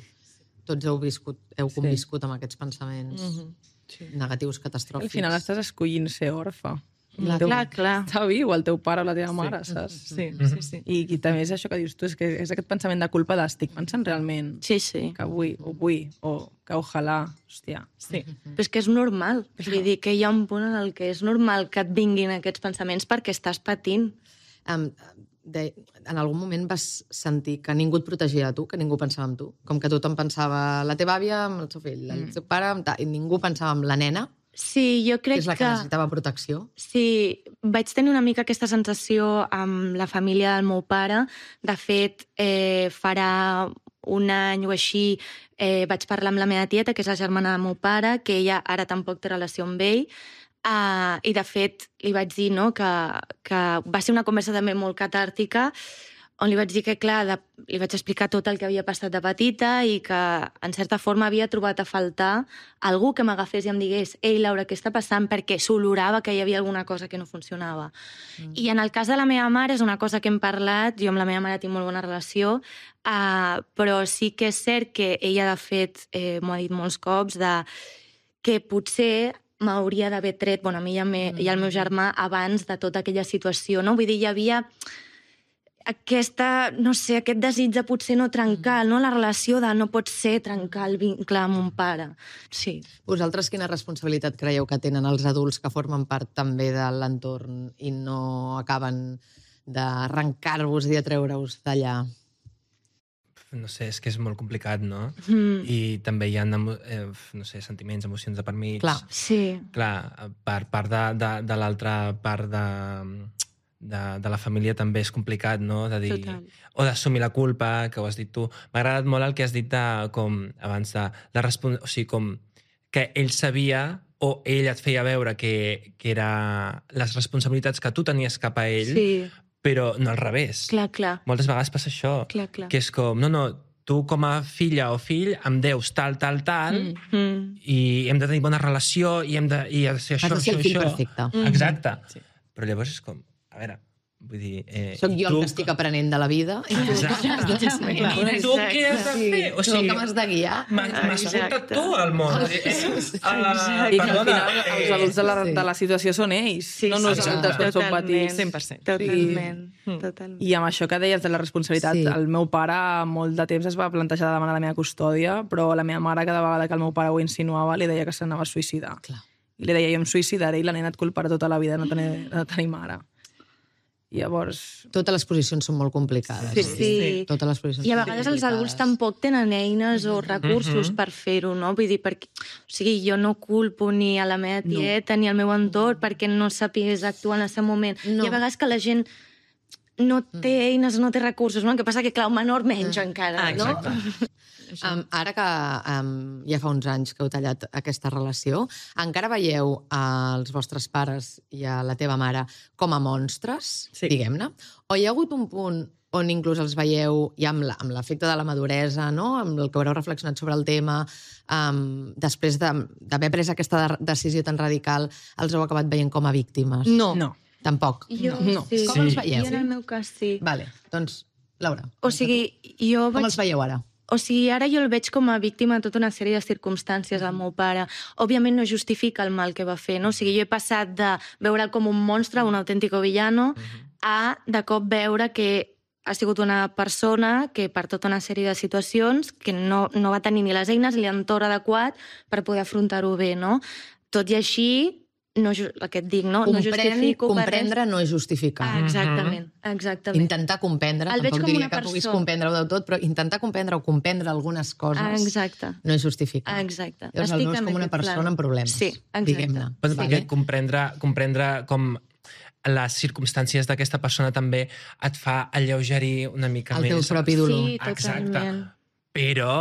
Tots heu conviscut amb aquests pensaments negatius, catastròfics. Al final estàs escollint ser orfe. Clar. Està viu el teu pare o la teva mare, saps? Sí. I també és això que dius tu, és que és aquest pensament de culpa d'estic pensant realment que vull, o que ojalà, hòstia. Sí. Però és que és normal. Vull dir que hi ha un punt en el que és normal que et vinguin aquests pensaments perquè estàs patint. En algun moment vas sentir que ningú et protegia de tu, que ningú pensava en tu? Com que tothom pensava la teva àvia amb el seu fill, el seu pare, i ningú pensava en la nena? Sí, jo Que crec és la que necessitava protecció. Sí, vaig tenir una mica aquesta sensació amb la família del meu pare. De fet, farà un any o així vaig parlar amb la meva tieta, que és la germana del meu pare, que ella ara tampoc té relació amb ell, i de fet li vaig dir que va ser una conversa també molt catàrtica, on li vaig dir que, clar, li vaig explicar tot el que havia passat de petita i que, en certa forma, havia trobat a faltar algú que m'agafés i em digués «Ei, Laura, què està passant?» perquè s'olorava que hi havia alguna cosa que no funcionava. I en el cas de la meva mare és una cosa que hem parlat, jo amb la meva mare tinc molt bona relació, però sí que és cert que ella, de fet, m'ho ha dit molts cops, que potser m'hauria d'haver tret, a mi i al meu germà, abans de tota aquella situació, no? Vull dir, hi havia aquest desig de potser no trencar, no? La relació de no pot ser trencar el vincle amb un pare. Sí. Vosaltres quina responsabilitat creieu que tenen els adults que formen part també de l'entorn i no acaben d'arrencar-vos i de treure-us d'allà? No sé, és que és molt complicat, no? I també hi ha, sentiments, emocions de per mig. Clar. Sí. Clar, per part de l'altra part de la família també és complicat, no? De dir, o d'assumir la culpa, que ho has dit tu. M'ha agradat molt el que has dit abans o sigui, com que ell sabia o ell et feia veure que era les responsabilitats que tu tenies cap a ell, però no al revés. Clar. Moltes vegades passa això, que és com, tu com a filla o fill em deus tal, i hem de tenir bona relació i hem de ser això, Has de ser el fill perfecte. Exacte. Però llavors és com, a veure, vull dir... Soc jo el que estic aprenent de la vida. Exacte. I tu què has de fer? O sigui, que m'has de guiar. M'has portat tu al món. I que al final els adults de la situació són ells, no nosaltres quan som petits. 100%. Totalment. I amb això que deies de la responsabilitat, el meu pare molt de temps es va plantejar de demanar la meva custòdia, però la meva mare cada vegada que el meu pare ho insinuava li deia que s'anava a suïcidar. I li deia, jo em suïcidaré i la nena et culparà tota la vida de no tenir mare. I llavors... Totes les posicions són molt complicades. Sí. Totes les posicions I a vegades els adults tampoc tenen eines o recursos per fer-ho, no? Vull dir, jo no culpo ni a la meva tieta ni al meu entorn perquè no sàpigués actuar en el seu moment. I a vegades que la gent no té eines, no té recursos, no? El que passa que, clar, un menor menys encara, no? Ara que ja fa uns anys que heu tallat aquesta relació, encara veieu els vostres pares i a la teva mare com a monstres, diguem-ne? O hi ha hagut un punt on inclús els veieu, ja amb l'efecte de la maduresa, no? Amb el que haureu reflexionat sobre el tema, després d'haver pres aquesta decisió tan radical, els heu acabat veient com a víctimes? No. Tampoc? No. Com els veieu? Jo en el meu cas sí. Vale, doncs, Laura. O sigui, jo com els veieu ara? O sigui, ara jo el veig com a víctima de tota una sèrie de circumstàncies al meu pare. Òbviament no justifica el mal que va fer, no? O sigui, jo he passat de veure'l com un monstre, un autèntico villano, a de cop veure que ha sigut una persona que per tota una sèrie de situacions que no va tenir ni les eines ni l'entorn adequat per poder afrontar-ho bé, no? Tot i així, el que et dic, no justifico... Comprendre no és justificar. Exactament. Intentar comprendre, tampoc diria que puguis comprendre-ho del tot, però intentar comprendre o comprendre algunes coses no és justificar. Exacte. Llavors el veus com una persona amb problemes, diguem-ne. Perquè comprendre com les circumstàncies d'aquesta persona també et fa alleugerir una mica més... El teu propi dolor. Sí, totalment. Però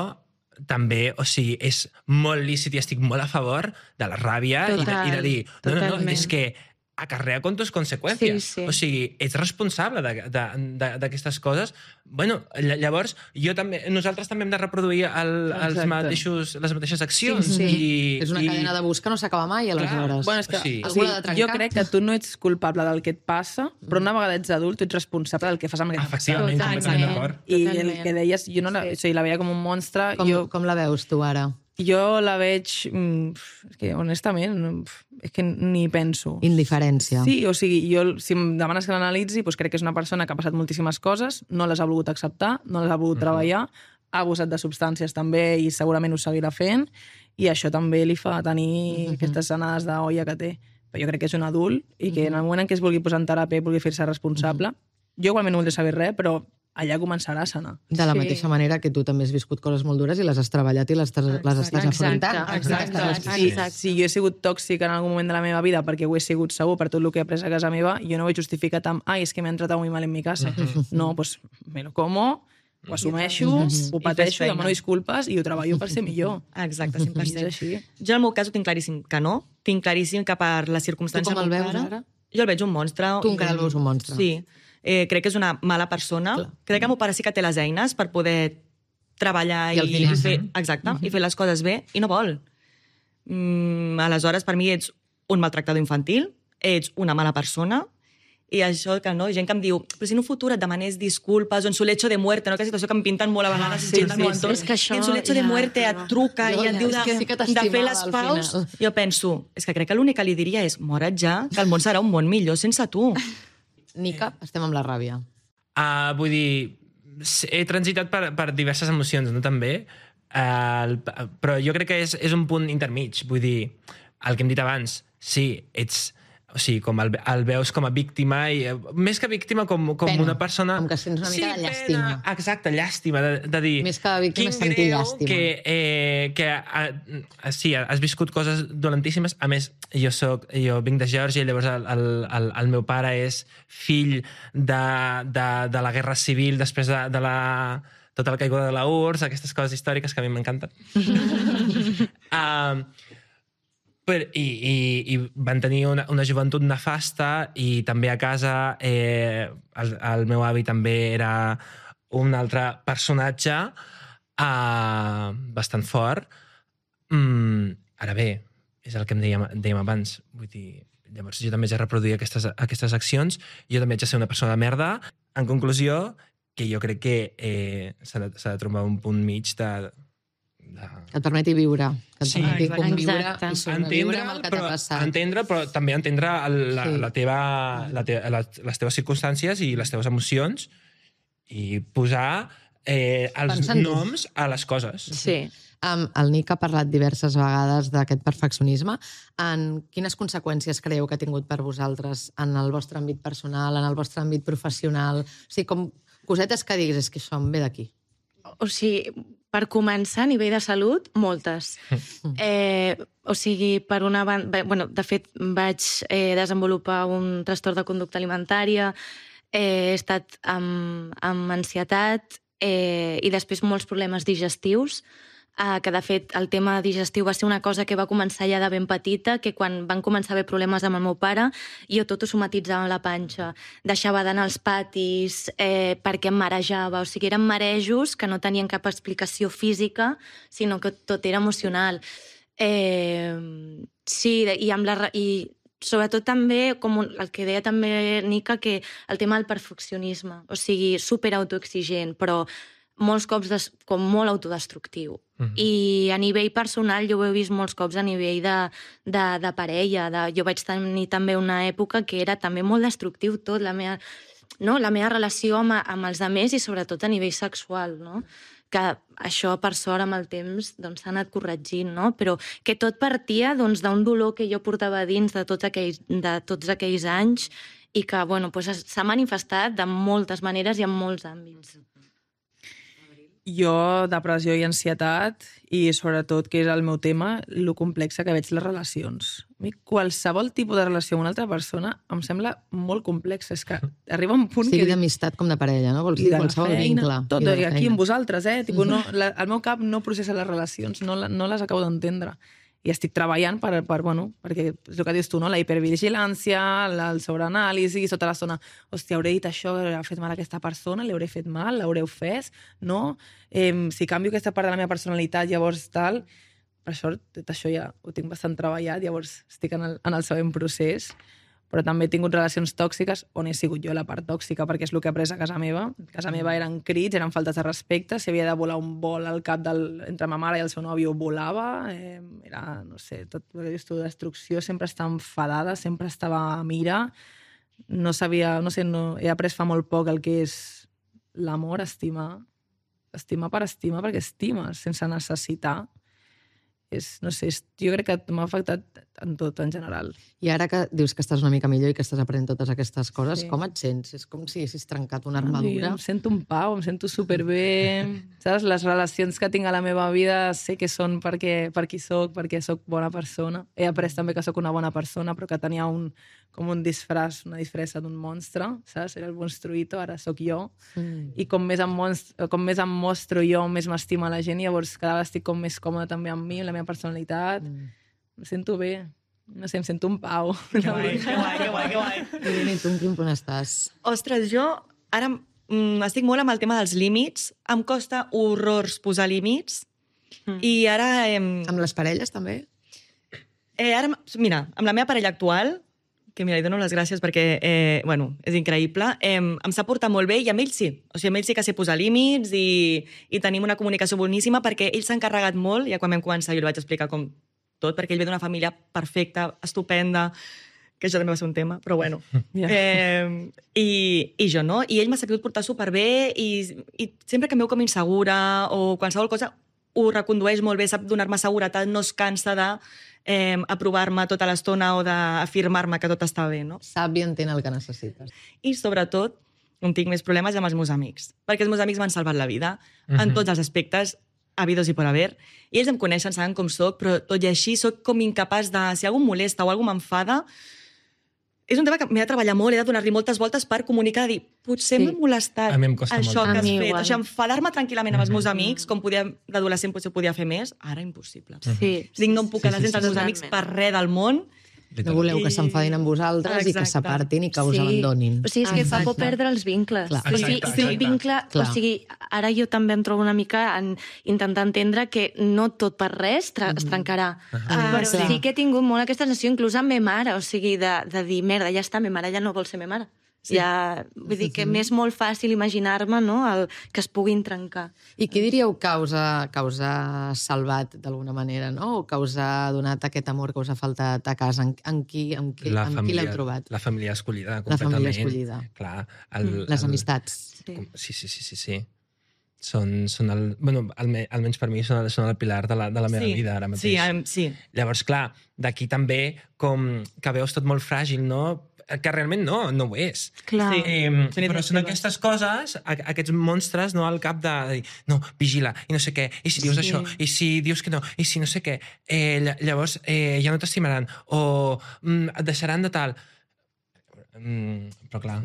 també, o sigui, és molt lícit i estic molt a favor de la ràbia i de dir, no, és que acarrea con tus conseqüències. Sí. O sigui, ets responsable d'aquestes coses. Bueno, llavors, nosaltres també hem de reproduir les mateixes accions. Sí. És una cadena d'abús que no s'acaba mai, aleshores. Bueno, és que jo crec que tu no ets culpable del que et passa, però una vegada ets adult, tu ets responsable del que fas amb aquest Efectivament, completament d'acord. I el que deies, jo la veia com un monstre. Com la veus tu ara? Jo la veig... És que, honestament, és que ni penso. Indiferència. Sí, o sigui, si em demanes que l'analitzi, doncs crec que és una persona que ha passat moltíssimes coses, no les ha volgut acceptar, no les ha volgut treballar, ha abusat de substàncies també i segurament ho seguirà fent, i això també li fa tenir aquestes anades d'olla que té. Però jo crec que és un adult i que en el moment en què es vulgui posar en teràpia i vulgui fer-se responsable, jo igualment no voldré saber res, però allà començarà a sanar. De la mateixa manera que tu també has viscut coses molt dures i les has treballat i les estàs afrontant. Exacte. Si jo he sigut tòxica en algun moment de la meva vida, perquè ho he sigut segur per tot el que he après a casa meva, jo no ho he justificat amb és que m'he tratado muy mal en mi casa. No, pues me lo como, ho assumeixo, ho pateixo, demano disculpes i ho treballo per ser millor. Exacte, 100%. I és així. Jo, en el meu cas, ho tinc claríssim que no. Tinc claríssim que per la circumstància... Tu com el veus ara? Jo el veig un monstre. Tu encara el veus un monstre. Sí. Crec que és una mala persona. Clar. Crec que el meu pare sí que té les eines per poder treballar i fer... Exacte, i fer les coses bé, i no vol. Aleshores, per mi ets un maltractador infantil, ets una mala persona, i això que no, gent que em diu, però si en un futur et demanés disculpes o en su lecho de muerte, no? Que situació que em pinten molt a vegades. És que això... En su lecho de muerte et truca i et diu de fer les paus. Jo penso, és que crec que l'únic que li diria és mora't ja, que el món serà un món millor sense tu. Nica, estem amb la ràbia. Vull dir, he transitat per diverses emocions, no també? Però jo crec que és un punt intermig. Vull dir, el que hem dit abans, sí, ets... O sigui, com el veus com a víctima, i més que víctima, com una persona... Com que sents una mica de llàstima. Pena, exacte, llàstima, de dir... Més que víctima, sentir llàstima. Sí, has viscut coses dolentíssimes. A més, jo vinc de Geòrgia i llavors el meu pare és fill de la Guerra Civil després de tota la caiguda de la URSS, aquestes coses històriques que a mi m'encanten. I van tenir una joventut nefasta, i també a casa el meu avi també era un altre personatge bastant fort. Ara bé, és el que em dèiem abans. Vull dir, llavors jo també haig de reproduir aquestes accions, jo també haig de ser una persona de merda. En conclusió, que jo crec que s'ha de trobar un punt mig de... Que et permeti viure, que et permeti conviure i sobreviure amb el que t'ha passat. Entendre, però també entendre les teves circumstàncies i les teves emocions, i posar els noms a les coses. Sí. El Nick ha parlat diverses vegades d'aquest perfeccionisme. Quines conseqüències creieu que ha tingut per vosaltres en el vostre àmbit personal, en el vostre àmbit professional? O sigui, com cosetes que diguis, és que això em ve d'aquí. O sigui, per començar, a nivell de salut, moltes. O sigui, per una banda... de fet, vaig desenvolupar un trastorn de conducta alimentària, he estat amb ansietat i després molts problemes digestius, que de fet el tema digestiu va ser una cosa que va començar ja de ben petita, que quan van començar a haver problemes amb el meu pare, jo tot ho somatitzava amb la panxa. Deixava d'anar als patis perquè em marejava. O sigui, eren marejos que no tenien cap explicació física, sinó que tot era emocional. Sí, i sobretot també, com el que deia també Nica, que el tema del perfeccionisme. O sigui, superautoexigent, però molts cops com molt autodestructiu. I a nivell personal jo ho he vist molts cops a nivell de parella. Jo vaig tenir també una època que era també molt destructiu tot, la meva relació amb els altres i sobretot a nivell sexual, no? Que això, per sort, amb el temps s'ha anat corregint, no? Però que tot partia d'un dolor que jo portava dins de tots aquells anys i que s'ha manifestat de moltes maneres i en molts àmbits. Jo, depressió i ansietat, i sobretot, que és el meu tema, lo complexa que veig les relacions. A mi, qualsevol tipus de relació amb una altra persona em sembla molt complex. És que arriba un punt sigui d'amistat com de parella, no? Vols dir qualsevol vincle. Tot, i aquí amb vosaltres, Tipo, el meu cap no processa les relacions, no les acabo d'entendre. I estic treballant perquè és el que dius tu, no? La hipervigilància, el sobreanàlisi, sota l'estona, hòstia, hauré dit això, hauré fet mal a aquesta persona, li hauré fet mal, l'hauré ofès, no? Si canvio aquesta part de la meva personalitat, llavors tal... Per sort, tot això ja ho tinc bastant treballat, llavors estic en el següent procés, però també he tingut relacions tòxiques on he sigut jo la part tòxica, perquè és el que he après a casa meva. A casa meva eren crits, eren faltes de respecte, si havia de volar un vol al cap entre ma mare i el seu nòvio, volava, era, no sé, tot el que dius tu, destrucció, sempre estava enfadada, sempre estava a mira, no sabia, no sé, he après fa molt poc el que és l'amor, estimar per estimar, perquè estimes sense necessitar. No sé, jo crec que m'ha afectat en general. I ara que dius que estàs una mica millor i que estàs aprenent totes aquestes coses, Sí. com et sents? És com si haguessis trencat una Ai, armadura. em sento en pau, em sento superbé. Saps? Les relacions que tinc a la meva vida sé que són per qui soc, perquè sóc bona persona. He après també que sóc una bona persona, però que tenia com un disfraç, una disfressa d'un monstre, saps? Era el monstruito, ara sóc jo. I com més em mostro jo, més m'estima la gent, llavors cada vegada estic com més còmoda també amb mi, amb la meva personalitat. Em sento bé. No sé, em sento en pau. Que guai. I tu en quin punt estàs? Ostres, jo ara estic molt amb el tema dels límits. Em costa horrors posar límits. I ara... Amb les parelles, també? Ara, mira, amb la meva parella actual, que mira, li dono les gràcies perquè, bueno, és increïble, em sap portar molt bé i amb ell sí. O sigui, amb ell sí que sé posar límits i tenim una comunicació boníssima perquè ell s'ha encarregat molt, ja quan vam començar jo li vaig explicar com tot, perquè ell ve d'una família perfecta, estupenda, que això també va ser un tema, però bueno. I jo no. I ell m'ha sabut portar superbé i sempre que em veu com insegura o qualsevol cosa ho recondueix molt bé, sap donar-me seguretat, no es cansa d'aprovar-me tota l'estona o d'afirmar-me que tot està bé, no? Sap i entén el que necessites. I sobretot, on tinc més problemes amb els meus amics, perquè els meus amics m'han salvat la vida en tots els aspectes, habidos i por haver, i ells em coneixen, saben com soc, però tot i així soc com incapaç de... Si algú em molesta o algú m'enfada, és un tema que m'he de treballar molt, he de donar-li moltes voltes per comunicar, dir, potser m'ha molestat A mi em costa això molt. que A has mi fet. igual. O sigui, enfadar-me tranquil·lament amb els meus amics, com d'adolescent potser podia fer més, ara impossible. Sí. Dic, no em puc quedar sense els meus amics per res del món. No voleu que s'enfadin amb vosaltres i que Exacte. s'apartin i que us abandonin. O sigui, és que fa por perdre els vincles. Clar. O sigui, Exacte, si el exacte. vincle... Clar. O sigui, ara jo també em trobo una mica en intentar entendre que no tot per res es trencarà. Però clar. sí que he tingut molt aquesta sensació, inclús amb ma mare, o sigui, de dir, merda, ja està, ma mare ja no vol ser ma mare. Sí. Ja, vull dir que m'és molt fàcil imaginar-me, no?, que es puguin trencar. I qui diríeu que us ha salvat d'alguna manera, no? O que us ha donat aquest amor que us ha faltat a casa? En qui l'heu trobat? La família escollida, La completament. família escollida. Clar. Les amistats. Sí. Són el... Bueno, almenys per mi són el pilar de la meva vida ara mateix. Sí. Llavors, clar, d'aquí també com que veus tot molt fràgil, no? Que realment no ho és. Clar. Sí. Però són aquestes coses, aquests monstres, no, al cap de dir, no, vigila, i no sé què, i si dius això, i si dius que no, i si no sé què, llavors ja no t'estimaran, o et deixaran de tal. Però clar,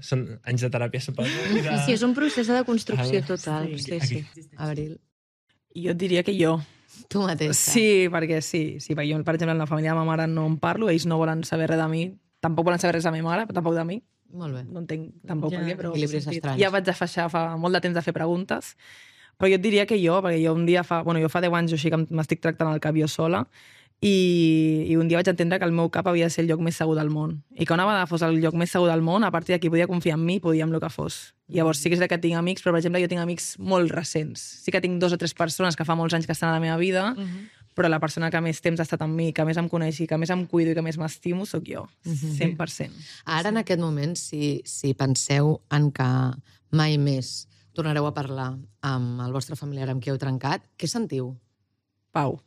són anys de teràpia, suposo. Sí, és un procés de construcció total. Aquí. Abril, Jo et diria que jo. tu mateixa. Sí, perquè perquè jo, per exemple, en la família de ma mare no en parlo, ells no volen saber res de mi, tampoc volen saber res de la meva mare, però tampoc de mi. Molt bé. No entenc tampoc per què, però Equilibris estranys. ja vaig deixar fa molt de temps de fer preguntes. Però jo et diria que jo, perquè jo un dia fa 10 anys o així que m'estic tractant el cap jo sola, i un dia vaig entendre que el meu cap havia de ser el lloc més segur del món. I que una vegada fos el lloc més segur del món, a partir d'aquí podia confiar en mi, podia en el que fos. Llavors sí que és que tinc amics, però per exemple jo tinc amics molt recents. Sí que tinc 2 o 3 persones que fa molts anys que estan a la meva vida, però la persona que més temps ha estat amb mi, que més em coneix i que més em cuido i que més m'estimo, sóc jo, 100%. Ara, en aquest moment, si penseu en que mai més tornareu a parlar amb el vostre familiar amb qui heu trencat, què sentiu? Pau.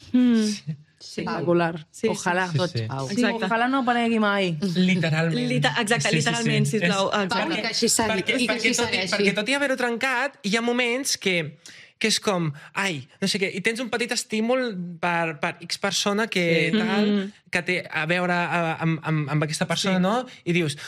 Sí. Espectacular. Sí, Ojalà. sí, Tots sí. Pau. Sí, ojalà no aparegui mai. Literalment. Exacte, literalment, sisplau. Pau, i que així segui. Perquè tot i haver-ho trencat, hi ha moments que és com, ai, no sé què, i tens un petit estímul per X persona que té a veure amb aquesta persona, no? I dius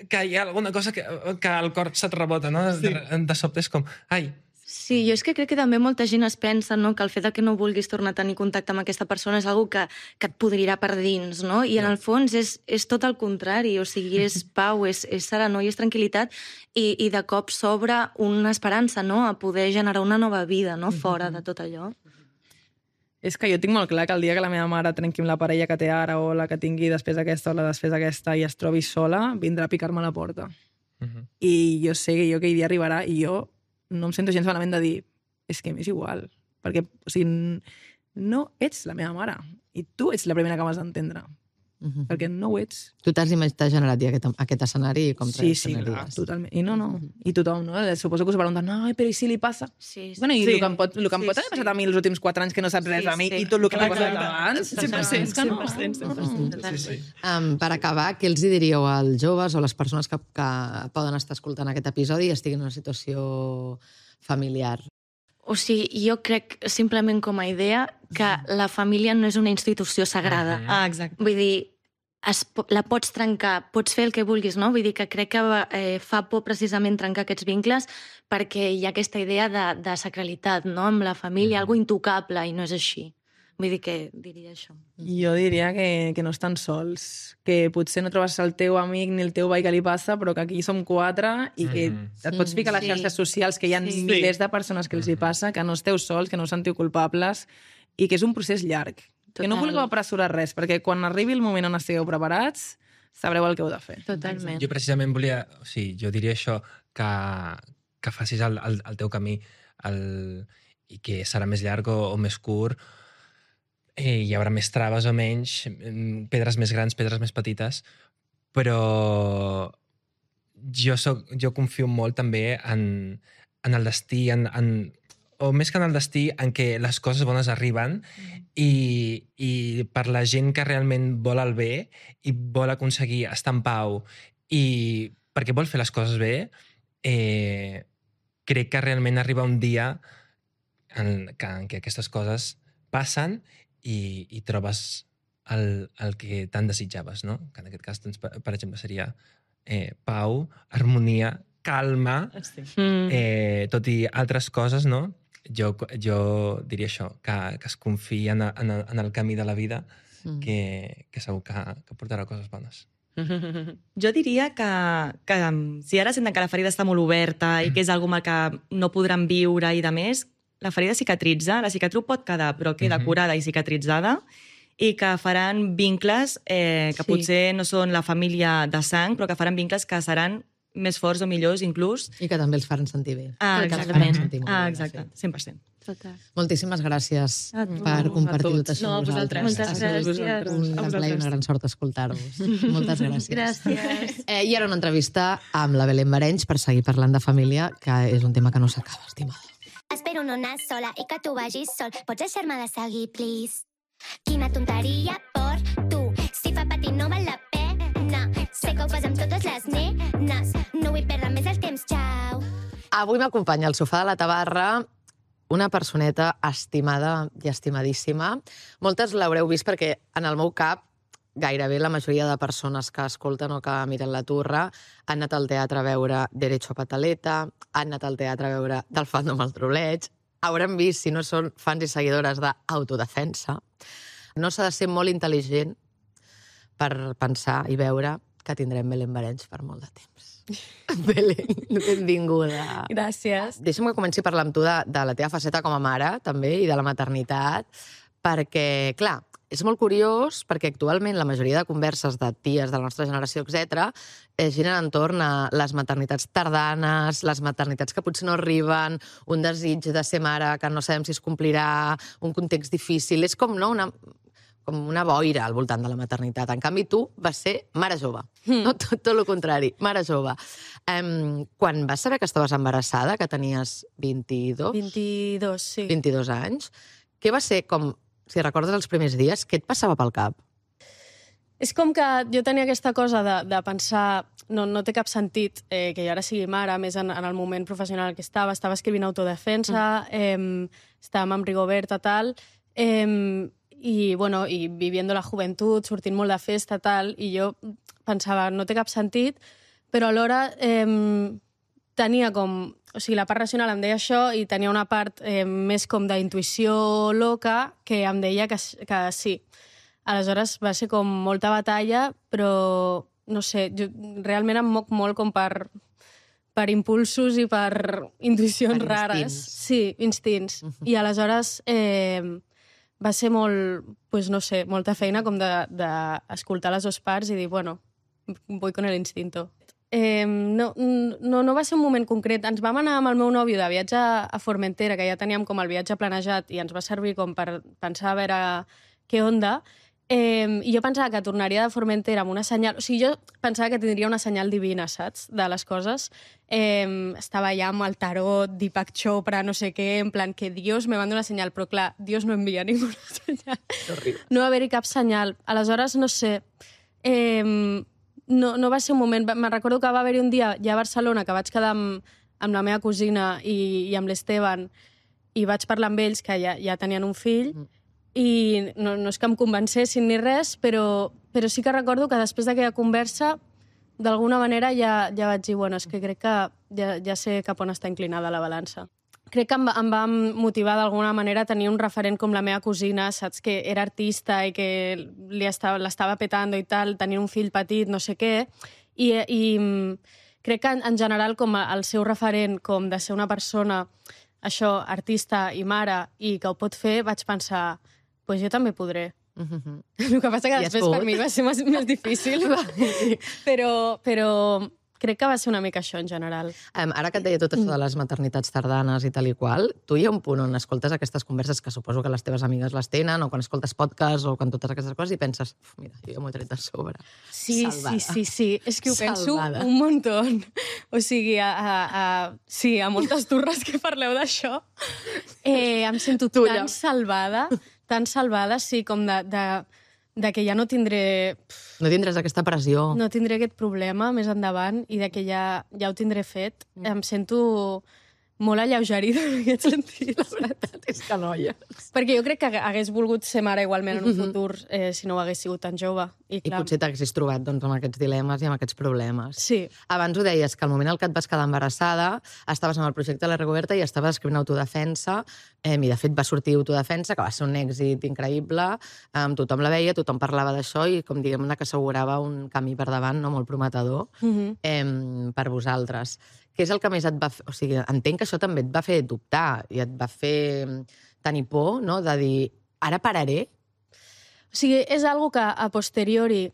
que hi ha alguna cosa que el cor se't rebota, no? De sobte és com, ai. Sí, jo és que crec que també molta gent es pensa, no?, que el fet de que no vulguis tornar a tenir contacte amb aquesta persona és algo que et podrirà per dins, no? I en el fons és tot el contrari, o sigui, és pau, és serenor i és tranquil·litat i de cop s'obre una esperança, no?, a poder generar una nova vida, no?, fora de tot allò. És que jo tinc molt clar que el dia que la meva mare trenqui amb la parella que té ara o la que tingui després d'aquesta o la després d'aquesta i es trobi sola, vindrà a picar-me a la porta. I jo sé que aquell dia arribarà i jo no em sento gens malament de dir és que m'és igual, perquè o sigui, no ets la meva mare i tu ets la primera que m'has d'entendre. perquè no ho ets. Tu t'has generat ja aquest escenari i com Sí, clar, totalment. I i tothom, no? Suposo que us pregunten, no, però i si li passa? Sí. Bueno, i el que em pot haver passat a mi els últims 4 anys que no saps res a mi i tot el que m'ha passat abans, 100%. Per acabar, què els hi diríeu als joves o a les persones que poden estar escoltant aquest episodi i estiguin en una situació familiar? O sigui, jo crec, simplement com a idea, que la família no és una institució sagrada. Exacte. Vull dir, la pots trencar, pots fer el que vulguis, no? Vull dir que crec que fa por precisament trencar aquests vincles perquè hi ha aquesta idea de sacralitat, no?, amb la família, algo intocable, i no és així. Vull dir que diria això. Jo diria que no estan sols, que potser no trobes el teu amic ni el teu veí que li passa, però que aquí som 4 i que et pots ficar a les xarxes socials, que hi ha milers de persones que els hi passa, que no esteu sols, que no us sentiu culpables i que és un procés llarg. Que no vulgueu apressurar res, perquè quan arribi el moment on estigueu preparats, sabreu el que heu de fer. Totalment. Jo precisament volia... O sigui, jo diria això, que facis el teu camí i que serà més llarg o més curt. Hi haurà més traves o menys, pedres més grans, pedres més petites, però jo confio molt també en el destí, o més que en el destí, en què les coses bones arriben i per la gent que realment vol el bé i vol aconseguir estar en pau i perquè vol fer les coses bé, crec que realment arriba un dia en què aquestes coses passen i trobes el que tant desitjaves, no? Que en aquest cas, doncs, per exemple, seria pau, harmonia, calma, tot i altres coses, no? Jo diria això, que es confiï en el camí de la vida, que segur que portarà coses bones. Jo diria que si ara senten que la ferida està molt oberta i que és alguna que no podran viure i de més, la ferida cicatritza, la cicatriu pot quedar, però queda curada i cicatritzada, i que faran vincles que potser no són la família de sang, però que faran vincles que seran més forts o millors, inclús. I que també els faran sentir bé. Exactament. Exacte, 100%. Total. Moltíssimes gràcies per compartir tot això amb nosaltres. Moltes gràcies. Un gran plaer i una gran sort escoltar-vos. Moltes gràcies. Gràcies. I ara una entrevista amb la Belén Barenys per seguir parlant de família, que és un tema que no s'acaba, estimada. Espero no anar sola i que tu vagis sol. Pots deixar-me de seguir, please? Quina tonteria per tu. Si fa patir no val la pena. Sé que ho fas amb totes les nenes. No vull perdre més el temps, xau. Avui m'acompanya al sofà de la Tabarra una personeta estimada i estimadíssima. Moltes l'haureu vist perquè en el meu cap gairebé la majoria de persones que escolten o que miren la Turra han anat al teatre a veure Derecho a Pataleta, han anat al teatre a veure Del fandom al trobleig, hauran vist, si no són fans i seguidores d'Autodefensa. No s'ha de ser molt intel·ligent per pensar i veure que tindrem Belén Barenys per molt de temps. Belén, benvinguda. Gràcies. Deixa'm que comenci a parlar amb tu de la teva faceta com a mare, també, i de la maternitat, perquè, clar, és molt curiós perquè actualment la majoria de converses de ties de la nostra generació, etc., giren entorn a les maternitats tardanes, les maternitats que potser no arriben, un desig de ser mare que no sabem si es complirà, un context difícil. És com, no, una boira al voltant de la maternitat. En canvi, tu vas ser mare jove. No, tot el contrari, mare jove. Quan vas saber que estaves embarassada, que tenies 22? 22, sí. 22 anys, què va ser com... Si recordes els primers dies, què et passava pel cap? És com que jo tenia aquesta cosa de pensar no té cap sentit que jo ara sigui mare, més en el moment professional que estava escrivint Autodefensa, estàvem amb Rigoberta, tal, i viviendo la joventut, sortint molt de festa, tal, i jo pensava, no té cap sentit, però alhora tenia com... O sigui, la part racional em deia això i tenia una part més com d'intuïció loca que em deia que sí. Aleshores va ser com molta batalla, però, no sé, jo realment em moc molt com per impulsos i per intuïcions rares. Sí, instints. I aleshores va ser molt, pues, no sé, molta feina com d'escoltar les dues parts i dir, bueno, voy con el instinto. No va ser un moment concret. Ens vam anar amb el meu nòvio de viatge a Formentera, que ja teníem com el viatge planejat i ens va servir com per pensar a veure què onda, I jo pensava que tornaria de Formentera amb una senyal... O sigui, jo pensava que tindria una senyal divina, saps?, de les coses. Estava ja amb el tarot, Deepak Chopra, no sé què, en plan que Dios me manda una senyal, però clar, Dios no envia ninguna senyal. No va haver-hi cap senyal. Aleshores, no sé... No va ser un moment... Me'n recordo que va haver-hi un dia ja a Barcelona que vaig quedar amb la meva cosina i amb l'Esteban i vaig parlar amb ells, que ja tenien un fill, i no és que em convencessin ni res, però sí que recordo que després d'aquella conversa, d'alguna manera ja vaig dir, bueno, és que crec que ja sé cap on està inclinada la balança. Crec que em va motivar d'alguna manera tenir un referent com la meva cosina, saps, que era artista i que l'estava petant i tal, tenir un fill petit, no sé què, i crec que en general com el seu referent com de ser una persona, això, artista i mare, i que ho pot fer, vaig pensar, pues jo també podré. El que passa que després per mi va ser més difícil, però crec que va ser una mica això en general. Ara que et deia tot això de les maternitats tardanes i tal i qual, tu hi ha un punt on escoltes aquestes converses que suposo que les teves amigues les tenen, o quan escoltes podcasts o quan totes aquestes coses i penses, mira, jo m'ho he tret de sobre. Sí. És que ho penso un muntó. O sigui, sí, a moltes turres que parleu d'això, em sento tan salvada, sí, com de que ja no tindré... No tindràs aquesta pressió. No tindré aquest problema més endavant i de que ja ho tindré fet. Em sento molt alleugerida en aquest sentit. La veritat és que noies. Perquè jo crec que hagués volgut ser mare igualment en un futur si no ho hagués sigut tan jove. I potser t'haguessis trobat amb aquests dilemes i amb aquests problemes. Sí. Abans ho deies, que al moment en què et vas quedar embarassada estaves amb el projecte de la Rigoberta i estaves escrivint Autodefensa, i de fet va sortir Autodefensa, que va ser un èxit increïble, tothom la veia, tothom parlava d'això i com diguem-ne que assegurava un camí per davant molt prometedor per vosaltres. Què és el que més et va fer... O sigui, entenc que això també et va fer dubtar i et va fer tenir por, no?, de dir, ara pararé? O sigui, és algo que a posteriori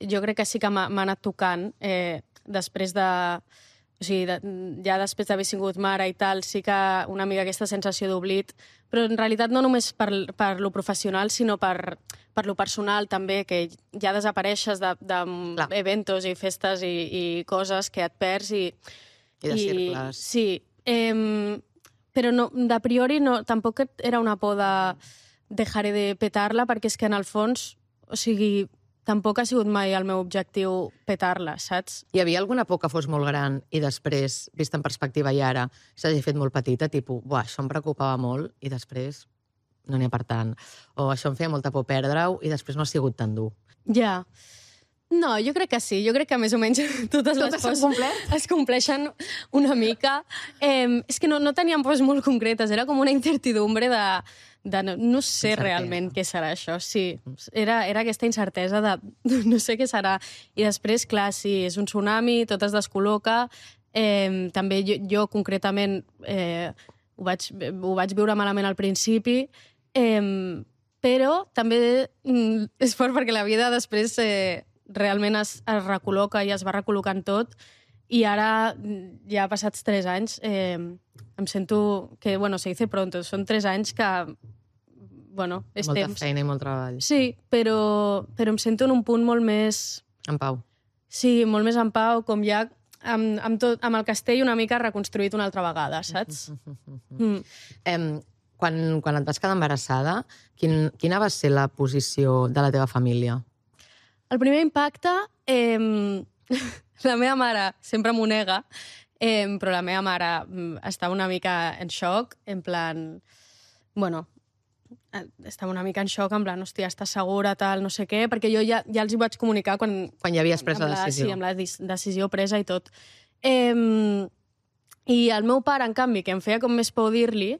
jo crec que sí que m'ha anat tocant després de... O sigui, ja després d'haver sigut mare i tal, sí que una mica aquesta sensació d'oblit, però en realitat no només per lo professional, sinó per lo personal també, que ja desapareixes d'eventos i festes i coses que et perds i de circles. Sí, però no, de priori no, tampoc era una por de dejaré de petar-la, perquè és que en el fons, o sigui, tampoc ha sigut mai el meu objectiu petar-la, saps? Hi havia alguna por que fos molt gran i després, vist en perspectiva i ara, s'hagi fet molt petita, tipus, buah, això em preocupava molt i després no n'hi ha per tant. O això em feia molta por perdre-ho i després no ha sigut tan dur. Ja. No, jo crec que sí. Jo crec que més o menys totes les pors es compleixen una mica. És que no teníem pors molt concretes, era com una incertidumbre de no sé realment què serà això. Sí, era aquesta incertesa de no sé què serà. I després, clar, sí, és un tsunami, tot es descol·loca. També jo concretament ho vaig viure malament al principi, però també és fort perquè la vida després realment es recol·loca i es va recol·locant tot, i ara, ja passats 3 anys, em sento que, bueno, se dice pronto, són 3 anys que, bueno, és molta temps. Molta feina i molt treball. Sí, però em sento en un punt molt més... En pau. Sí, molt més en pau, com ja amb el castell una mica reconstruït una altra vegada, saps? Quan et vas quedar embarassada, quina va ser la posició de la teva família? El primer impacte, la meva mare sempre m'ho nega, però la meva mare estava una mica en xoc, en plan, bueno, estava una mica en xoc, en plan, hòstia, estàs segura, tal, no sé què, perquè jo ja els hi vaig comunicar quan ja havies pres la decisió. Sí, amb la decisió presa i tot. I el meu pare, en canvi, que em feia com més por dir-li,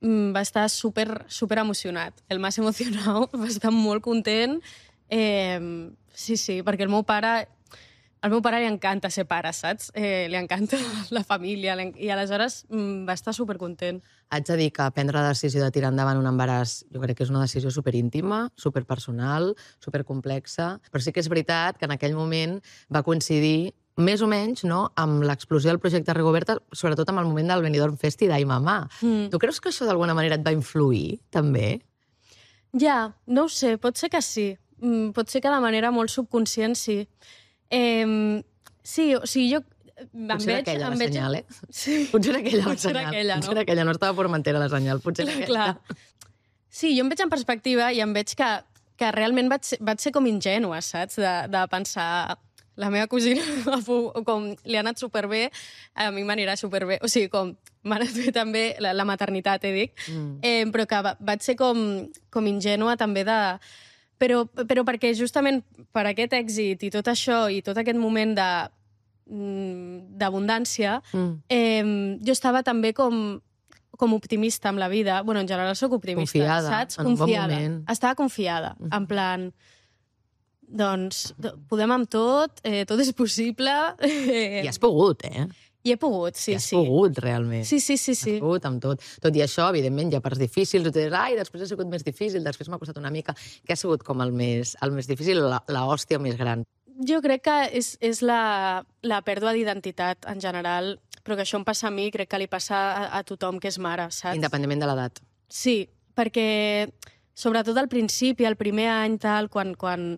va estar super emocionat. El más emocionat, va estar molt content. Sí, perquè el meu pare li encanta ser pare, saps? Li encanta la família, i aleshores va estar supercontent. Haig de dir que prendre la decisió de tirar endavant un embaràs jo crec que és una decisió superíntima, superpersonal, supercomplexa, però sí que és veritat que en aquell moment va coincidir més o menys, no?, amb l'explosió del projecte Rigoberta, sobretot amb el moment del Benidorm Fest i d'Ai Mamà. Tu creus que això d'alguna manera et va influir, també? Ja, no ho sé, pot ser que sí. Potser que de manera molt subconscient, sí. Sí, o sigui, jo... Potser era aquella la senyal, eh? Sí. Potser era aquella la Potser era senyal. aquella, no? Potser era aquella, no estava Formentera la senyal, potser era aquella. Clar. Sí, jo em veig en perspectiva i em veig que realment vaig ser com ingènua, saps? De pensar... La meva cosina, com li ha anat superbé, a mi m'anirà superbé. O sigui, com m'ha anat bé també la maternitat, dic. Però que vaig ser com ingènua també de... Però perquè justament per aquest èxit i tot això i tot aquest moment d'abundància, jo estava també com optimista amb la vida. Bueno, en general soc optimista, confiada, saps? en un bon moment. Estava confiada, en plan... Doncs podem amb tot és possible. I has pogut, eh? I he pogut, sí, I has pogut, realment. Sí. Has pogut amb tot. Tot i això, evidentment, hi ha parts difícils, i tu dius, després ha sigut més difícil, després m'ha costat una mica. Què ha sigut com el més difícil, la hòstia més gran? Jo crec que és la pèrdua d'identitat, en general, però que això em passa a mi, crec que li passa a tothom que és mare, saps? Independentment de l'edat. Sí, perquè sobretot al principi, el primer any, tal, quan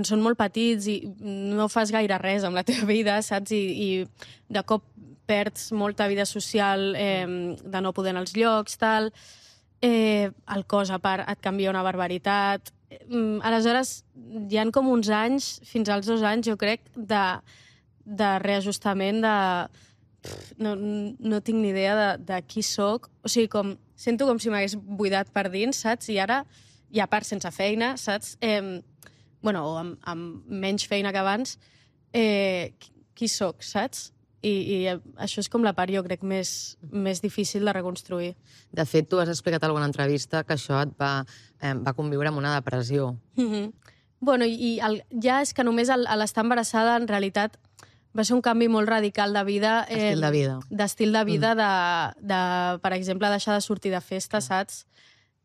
són molt petits i no fas gaire res amb la teva vida, saps? I de cop perds molta vida social, de no poder anar als llocs, tal. El cos, a part, et canvia una barbaritat. Aleshores, hi ha com uns anys, fins als 2 anys, jo crec, de reajustament, no tinc ni idea de qui sóc. O sigui, sento com si m'hagués buidat per dins, saps? I ara, i a part sense feina, saps? O amb menys feina que abans, qui sóc, saps? I això és com la part, jo crec, més difícil de reconstruir. De fet, tu has explicat en alguna entrevista que això et va conviure amb una depressió. Bueno, ja és que només a l'estar embarassada, en realitat, va ser un canvi molt radical de vida. D'estil de vida. D'estil de vida, per exemple, deixar de sortir de festa, saps?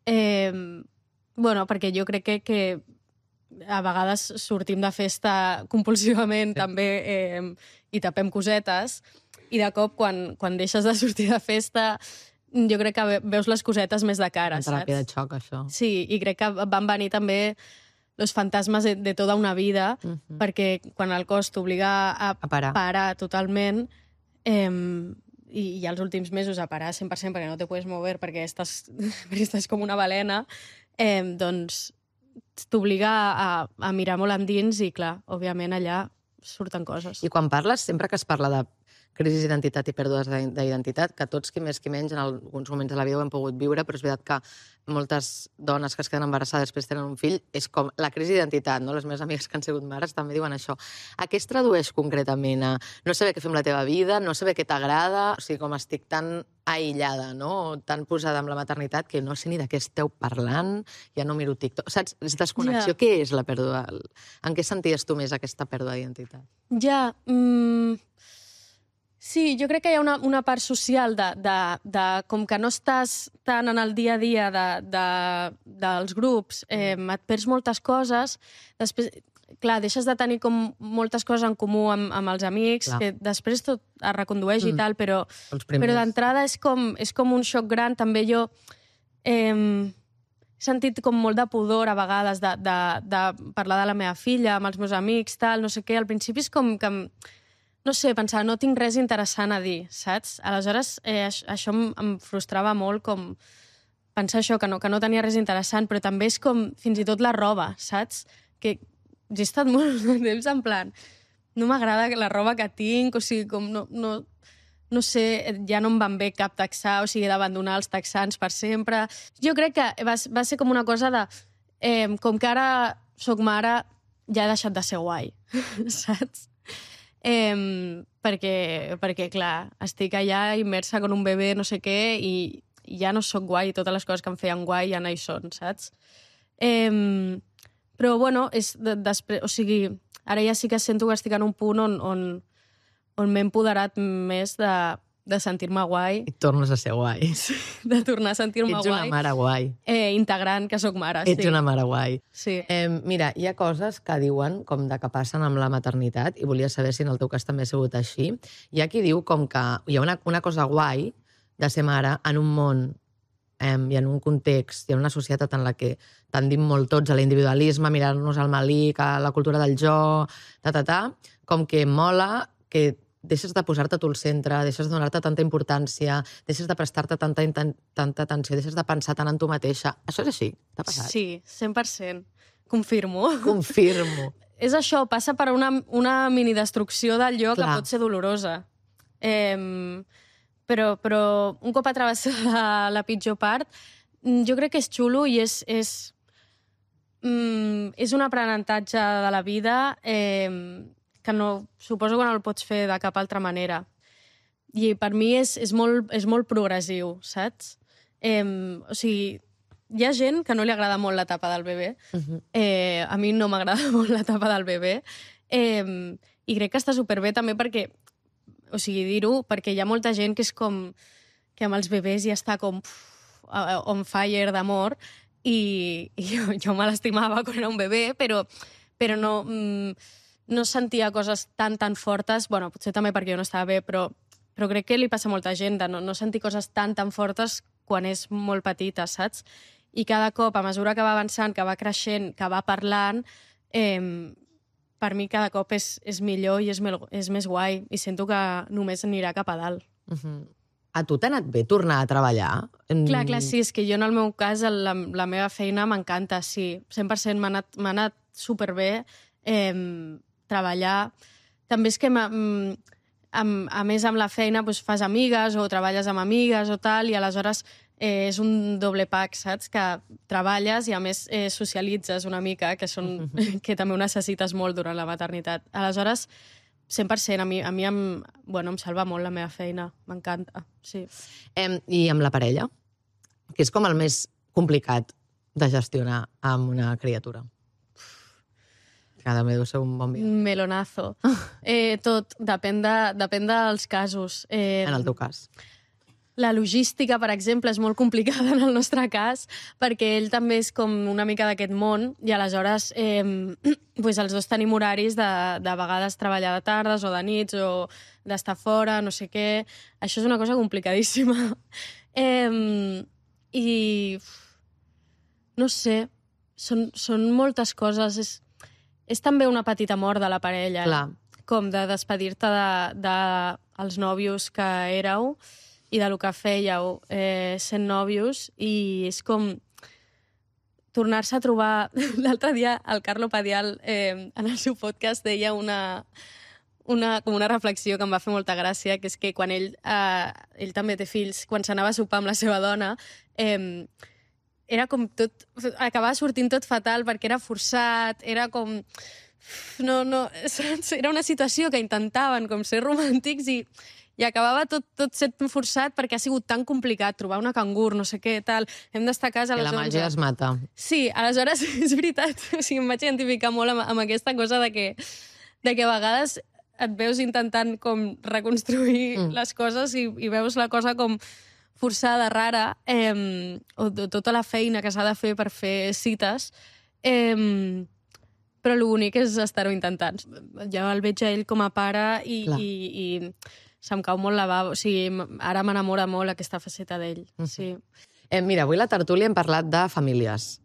Perquè jo crec que a vegades sortim de festa compulsivament, també, i tapem cosetes, i de cop, quan deixes de sortir de festa, jo crec que veus les cosetes més de cara, saps? Una teràpia de xoc, això. Sí, i crec que van venir també los fantasmes de tota una vida, perquè quan el cos t'obliga a parar totalment, i els últims mesos a parar 100% perquè no te puedes mover, perquè estàs com una balena, doncs t'obliga a mirar molt endins i, clar, òbviament allà surten coses. I quan parles, sempre que es parla de crisi d'identitat i pèrdues d'identitat, que tots, qui més qui menys, en alguns moments de la vida ho hem pogut viure, però és veritat que moltes dones que es queden embarassades després tenen un fill, és com la crisi d'identitat, no? Les meves amigues que han sigut mares també diuen això. A què es tradueix concretament? A no saber què fer amb la teva vida, no saber què t'agrada, o sigui, com estic tan aïllada, no? Tan posada amb la maternitat que no sé ni de què esteu parlant, ja no miro TikTok. Saps? És desconnexió. Ja. Què és la pèrdua? En què senties tu més aquesta pèrdua d'identitat? Ja, sí, jo crec que hi ha una part social de com que no estàs tant en el dia a dia dels grups, et perds moltes coses, després, clar, deixes de tenir com moltes coses en comú amb els amics, clar, que després tot es recondueix i tal, però primers. d'entrada és com un xoc gran. També jo he sentit com molt de pudor a vegades de parlar de la meva filla amb els meus amics, tal, no sé què. Al principi és com que no sé, pensar, no tinc res interessant a dir, saps? Aleshores, això em frustrava molt, com pensar això, que no tenia res interessant, però també és com, fins i tot la roba, saps? Que he estat molt de temps en plan, no m'agrada la roba que tinc, o sigui, com no sé, ja no em van bé cap texà, o sigui, he d'abandonar els texans per sempre. Jo crec que va ser com una cosa de, com que ara soc mare, ja he deixat de ser guai, saps? Perquè, clar, estic allà immersa con un bebè, no sé què, i ja no sóc guai, totes les coses que em feien guai ja no hi són, saps? Però, bueno, o sigui, ara ja sí que sento que estic en un punt on m'he empoderat més de sentir-me guai. I tornes a ser guai. De tornar a sentir-me guai. Ets una mare guai. Integrant que sóc mare, sí. Ets una mare guai. Sí. Mira, hi ha coses que diuen com de que passen amb la maternitat, i volia saber si en el teu cas també ha sigut així. Hi ha qui diu com que hi ha una cosa guai de ser mare en un món i en un context, i en una societat en la que tendim molt tots a l'individualisme, a mirar-nos al malic, a la cultura del jo, com que mola que deixes de posar-te tu al centre, deixes de donar-te tanta importància, deixes de prestar-te tanta atenció, deixes de pensar tant en tu mateixa. Això és així? T'ha passat? Sí, 100%. Confirmo. Confirmo. És això, passa per una minidestrucció del jo que pot ser dolorosa. Però un cop a travessar la pitjor part, jo crec que és xulo i és un aprenentatge de la vida que no, suposo que no el pots fer de cap altra manera. I per mi és molt progressiu, saps? O sigui, hi ha gent que no li agrada molt l'etapa del bebè. A mi no m'agrada molt l'etapa del bebè. I crec que està superbé també perquè, o sigui, dir-ho, perquè hi ha molta gent que és com que amb els bebès ja està com on fire d'amor i jo me l'estimava quan era un bebè, però no sentia coses tan fortes, bueno, potser també perquè jo no estava bé, però crec que li passa a molta gent de no sentir coses tan fortes quan és molt petita, saps? I cada cop, a mesura que va avançant, que va creixent, que va parlant, per mi cada cop és millor i és més guai i sento que només anirà cap a dalt. A tu t'ha anat bé tornar a treballar? Clar, sí, és que jo en el meu cas la meva feina m'encanta, sí, 100% m'ha anat superbé treballar. També és que a més amb la feina fas amigues o treballes amb amigues o tal, i aleshores és un doble pack, saps? Que treballes i a més socialitzes una mica, que també ho necessites molt durant la maternitat. Aleshores, 100%, a mi em salva molt la meva feina, m'encanta, sí. I amb la parella? Que és com el més complicat de gestionar amb una criatura. També deu ser un bon dia. Melonazo. Tot, depèn dels casos. En el teu cas? La logística, per exemple, és molt complicada en el nostre cas, perquè ell també és com una mica d'aquest món, i aleshores els dos tenim horaris de vegades treballar de tardes o de nits o d'estar fora, no sé què. Això és una cosa complicadíssima. I no sé, són moltes coses. És també una petita mort de la parella. Clar. Com de despedir-te dels nòvios que éreu i del que fèieu sent nòvios, i és com tornar-se a trobar... L'altre dia el Carlo Padial en el seu podcast deia com una reflexió que em va fer molta gràcia, que és que quan ell també té fills, quan s'anava a sopar amb la seva dona, era com tot... Acabava sortint tot fatal perquè era forçat, era com... No, era una situació que intentaven com ser romàntics i acabava tot sent forçat perquè ha sigut tan complicat trobar una cangur, no sé què, tal. Hem d'estar a casa a les 11. Que la màgia es mata. Sí, aleshores és veritat. O sigui, em vaig identificar molt amb aquesta cosa de que a vegades et veus intentant com reconstruir les coses i veus la cosa com forçada, rara, o tota la feina que s'ha de fer per fer cites, però l'únic és estar-ho intentant. Jo el veig a ell com a pare i se'm cau molt la bava. O sigui, ara m'enamora molt aquesta faceta d'ell. Sí. Mira, avui a la tertúlia hem parlat de famílies.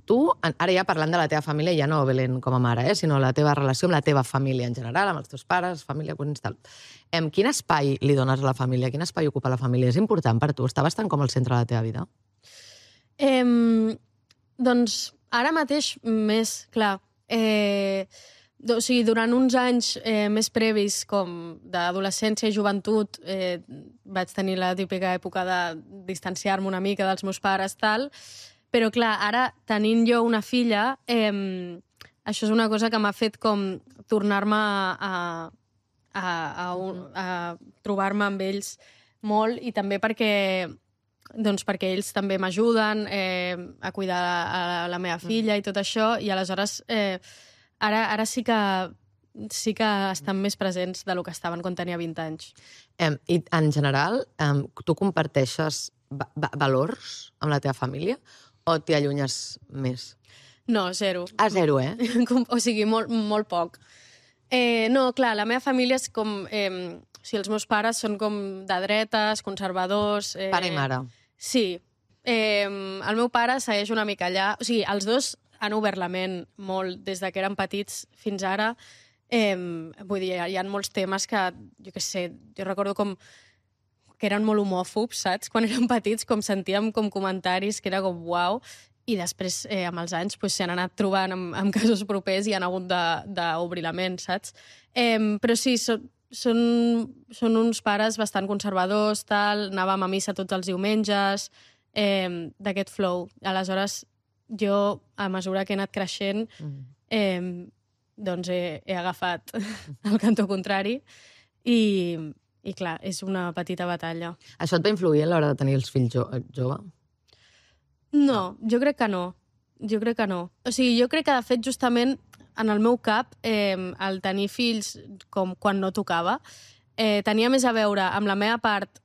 Tu, ara ja parlant de la teva família, ja no Belén com a mare, sinó la teva relació amb la teva família en general, amb els teus pares, família, cosins, tal. Quin espai li dones a la família? Quin espai ocupa la família? És important per tu? Està bastant com al centre de la teva vida? Doncs ara mateix més, clar. O sigui, durant uns anys més previs, com d'adolescència i joventut, vaig tenir la típica època de distanciar-me una mica dels meus pares, tal, però clar, ara, tenint jo una filla, això és una cosa que m'ha fet com tornar-me a trobar-me amb ells molt, i també perquè ells també m'ajuden a cuidar la meva filla i tot això, i aleshores ara sí que estan més presents del que estaven quan tenia 20 anys. I en general, tu comparteixes valors amb la teva família o t'hi allunyes més? No, zero. Zero, eh? O sigui, molt poc. No, clar, la meva família és com... O sigui, els meus pares són com de dretes, conservadors... Pare i mare. Sí. El meu pare segueix una mica allà. O sigui, els dos han obert la ment molt des de que eren petits fins ara. Vull dir, hi ha molts temes que, jo què sé, jo recordo com que eren molt homòfobs, saps? Quan érem petits, com sentíem com comentaris que era com uau, i després, amb els anys, s'hi han anat trobant amb casos propers i han hagut d'obrir la ment, saps? Però sí, són uns pares bastant conservadors, tal, anàvem a missa tots els diumenges, d'aquest flow. Aleshores, jo, a mesura que he anat creixent, doncs he agafat el cantó contrari i clar, és una petita batalla. Això et va influir a l'hora de tenir els fills jove? No, jo crec que no. Jo crec que no. O sigui, jo crec que, de fet, justament, en el meu cap, el tenir fills com quan no tocava, tenia més a veure amb la meva part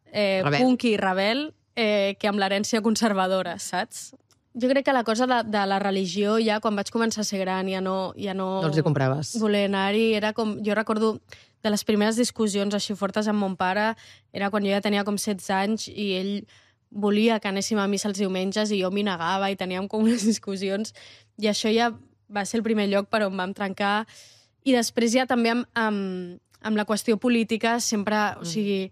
punky i rebel que amb l'herència conservadora, saps? Jo crec que la cosa de la religió, ja quan vaig començar a ser gran, ja no els hi compraves. Voler anar-hi, era com... Jo recordo de les primeres discussions així fortes amb mon pare, era quan jo ja tenia com 16 anys i ell volia que anéssim a missa els diumenges i jo m'hi negava i teníem com unes discussions i això ja va ser el primer lloc per on vam trencar. I després ja també amb la qüestió política sempre, o sigui,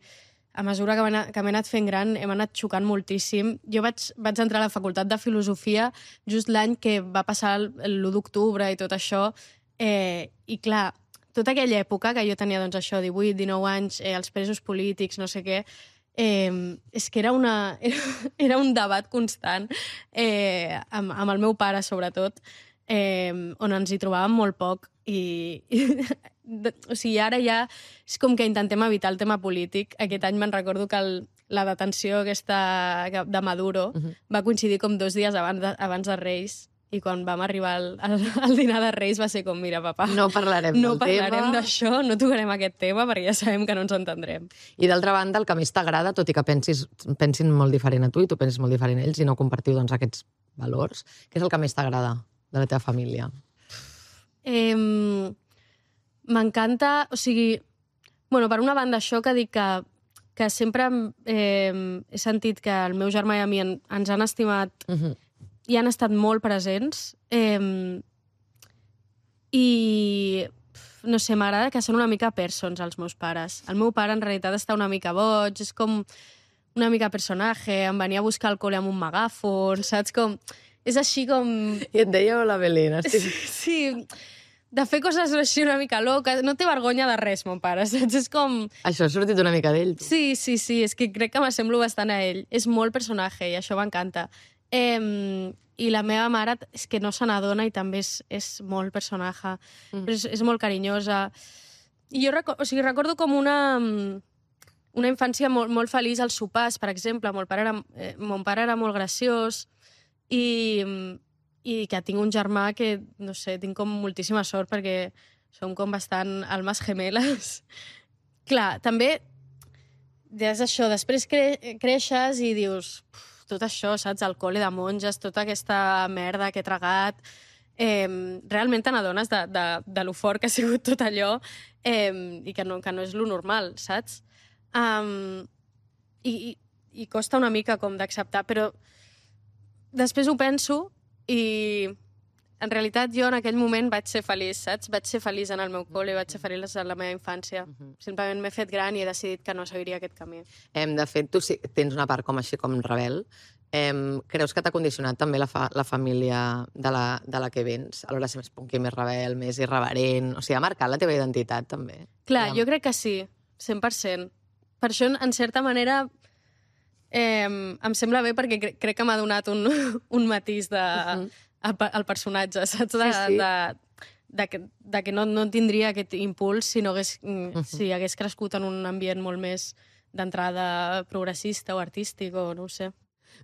a mesura que m'he anat fent gran hem anat xocant moltíssim. Jo vaig entrar a la facultat de filosofia just l'any que va passar l'1 d'octubre i tot això, i clar, tota aquella època que jo tenia doncs això, 18, 19 anys, els presos polítics, no sé què, és que era un debat constant amb el meu pare, sobretot, on ens hi trobàvem molt poc o sigui, ara ja és com que intentem evitar el tema polític. Aquest any me'n recordo que la detenció aquesta de Maduro va coincidir com 2 dies abans de Reis i quan vam arribar al dinar de Reis va ser com, mira, papa, no parlarem del tema. No parlarem d'això, no tocarem aquest tema perquè ja sabem que no ens entendrem. I d'altra banda, el que més t'agrada, tot i que pensin molt diferent a tu i tu pensis molt diferent a ells i no compartiu doncs, aquests valors, què és el que més t'agrada de la teva família? M'encanta, o sigui, bueno, per una banda això que dic que sempre he sentit que el meu germà i a mi ens han estimat i han estat molt presents i no sé, m'agrada que són una mica persons els meus pares. El meu pare en realitat està una mica boig, és com una mica personatge, em venia a buscar al col·le amb un megàfon, saps? Com... És així com... I et deia hola, Belén. Sí, de fer coses així una mica loques. No té vergonya de res, mon pare, saps? És com... Això ha sortit una mica d'ell. Sí, és que crec que m'assemblo bastant a ell. És molt personatge i això m'encanta. I la meva mare és que no se n'adona i també és molt personatge. Però és molt carinyosa. I jo recordo com una infància molt feliç als sopars, per exemple. Mon pare era molt graciós i que tinc un germà que, no sé, tinc com moltíssima sort perquè som com bastant almes gemeles. Clar, també és això, després creixes i dius tot això, saps, el col·le de monges, tota aquesta merda que he tragat, realment te n'adones de lo fort que ha sigut tot allò i que no és lo normal, saps? I costa una mica com d'acceptar, però després ho penso i en realitat jo en aquell moment vaig ser feliç, saps? Vaig ser feliç en el meu col·le, vaig ser feliç en la meva infància. Simplement m'he fet gran i he decidit que no seguiria aquest camí. De fet, tu tens una part com així com rebel. Creus que t'ha condicionat també la família de la que vens? A l'hora de ser més punky, més rebel, més irreverent... O sigui, ha marcat la teva identitat, també? Clar, jo crec que sí, 100%. Per això, en certa manera... em sembla bé perquè crec que m'ha donat un matís al personatge, saps? De que no tindria aquest impuls si hagués crescut en un ambient molt més d'entrada progressista o artístic o no ho sé.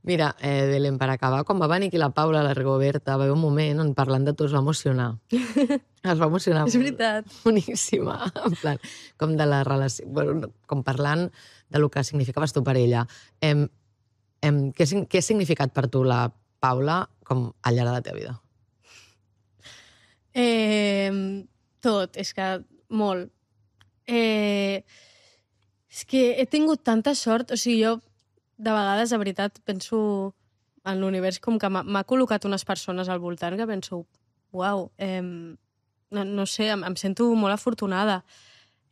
Mira, Belén, per acabar, quan va venir aquí la Paula, la Rigoberta, va haver un moment on parlant de tu es va emocionar. Es va emocionar És veritat. Boníssima. En plan, com de la relació... Bueno, com parlant de lo que significaves tu per ella. Què ha significat per tu la Paula com al llarg de la teva vida? Tot, és que molt. És que he tingut tanta sort, o sigui, jo de vegades, de veritat, penso en l'univers com que m'ha col·locat unes persones al voltant que penso, uau, no sé, em sento molt afortunada.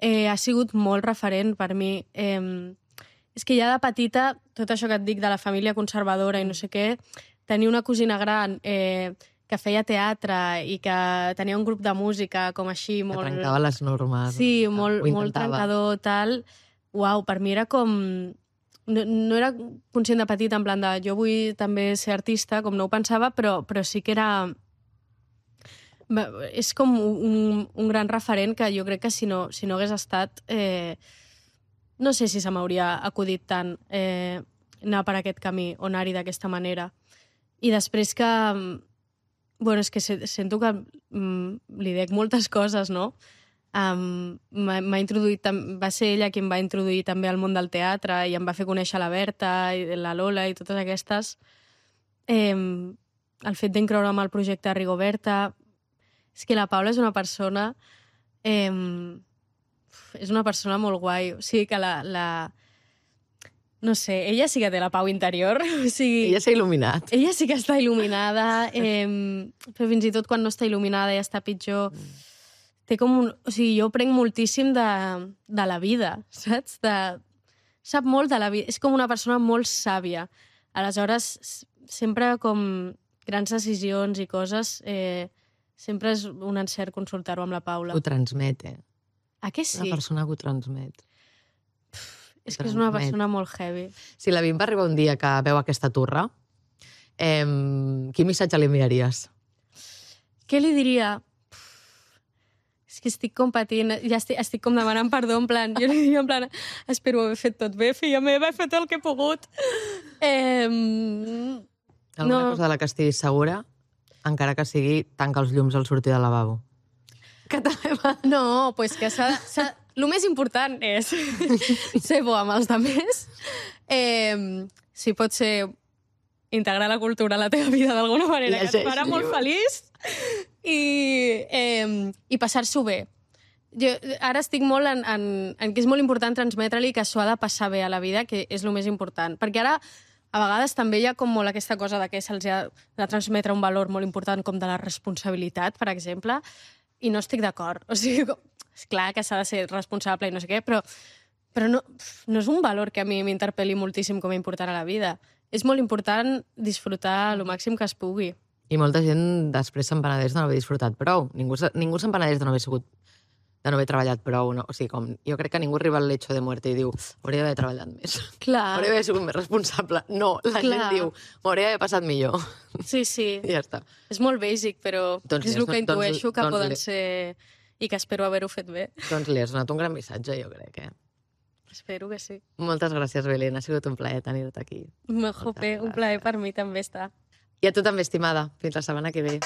Ha sigut molt referent per mi. És que ja de petita, tot això que et dic de la família conservadora i no sé què, tenia una cosina gran que feia teatre i que tenia un grup de música com així molt... Que trencava les normes. Sí, molt trencador, tal. Uau, per mi era com... No era conscient de petit, en plan de jo vull també ser artista, com no ho pensava, però sí que era... És com un gran referent que jo crec que si no hagués estat... no sé si se m'hauria acudit tant anar per aquest camí o anar-hi d'aquesta manera. I després que... Bueno, és que sento que li dec moltes coses, no? M'ha introduït... Va ser ella qui em va introduir també al món del teatre i em va fer conèixer la Berta i la Lola i totes aquestes. El fet d'incloure'm al projecte Rigoberta... És que la Paula és una persona... és una persona molt guai. O sigui que no sé, ella sí que té la pau interior. O sigui, Ella s'ha il·luminat. ella sí que està il·luminada, però fins i tot quan no està il·luminada ja està pitjor. Té com un... O sigui, jo prenc moltíssim de la vida, saps? Sap molt de la vida. És com una persona molt sàvia. Aleshores, sempre com grans decisions i coses, sempre és un encert consultar-ho amb la Paula. Ho transmet, A què sí? Una persona que ho transmet. És que és una persona molt heavy. Si la Bim va arribar un dia que veu aquesta turra, quin missatge li enviaries? Què li diria? És que estic com patint, ja estic com demanant perdó, en plan, jo li diria en plan, espero haver fet tot bé, filla meva, he fet el que he pogut. Alguna cosa de la que estiguis segura, encara que sigui tanca els llums al sortir del lavabo. Que també va... No, pues que el més important és ser bo amb els altres. Si pot ser integrar la cultura a la teva vida d'alguna manera, que et farà molt feliç i passar-s'ho bé. Jo ara estic molt en que és molt important transmetre-li que s'ho ha de passar bé a la vida, que és el més important. Perquè ara, a vegades, també hi ha com molt aquesta cosa de que se'ls ha de transmetre un valor molt important com de la responsabilitat, per exemple, i no estic d'acord. O sigui, és clar que s'ha de ser responsable i no sé què, però no és un valor que a mi m'interpel·li moltíssim com a important a la vida. És molt important disfrutar el màxim que es pugui. I molta gent després se'n penedeix de no haver disfrutat prou. Ningú se'n penedeix de no haver treballat prou. No? O sigui, jo crec que ningú arriba al lecho de muerte i diu hauria d'haver treballat més. Clar. Hauria d'haver sigut més responsable. No, la gent diu m'hauria d'haver passat millor. Sí. I ja està. És molt bàsic, però és el que intueixo que poden ser i que espero haver-ho fet bé. Doncs li has donat un gran missatge, jo crec, Espero que sí. Moltes gràcies, Belén. Ha sigut un plaer tenir-te aquí. Un plaer per mi també està. I a tu també, estimada. Fins la setmana que ve.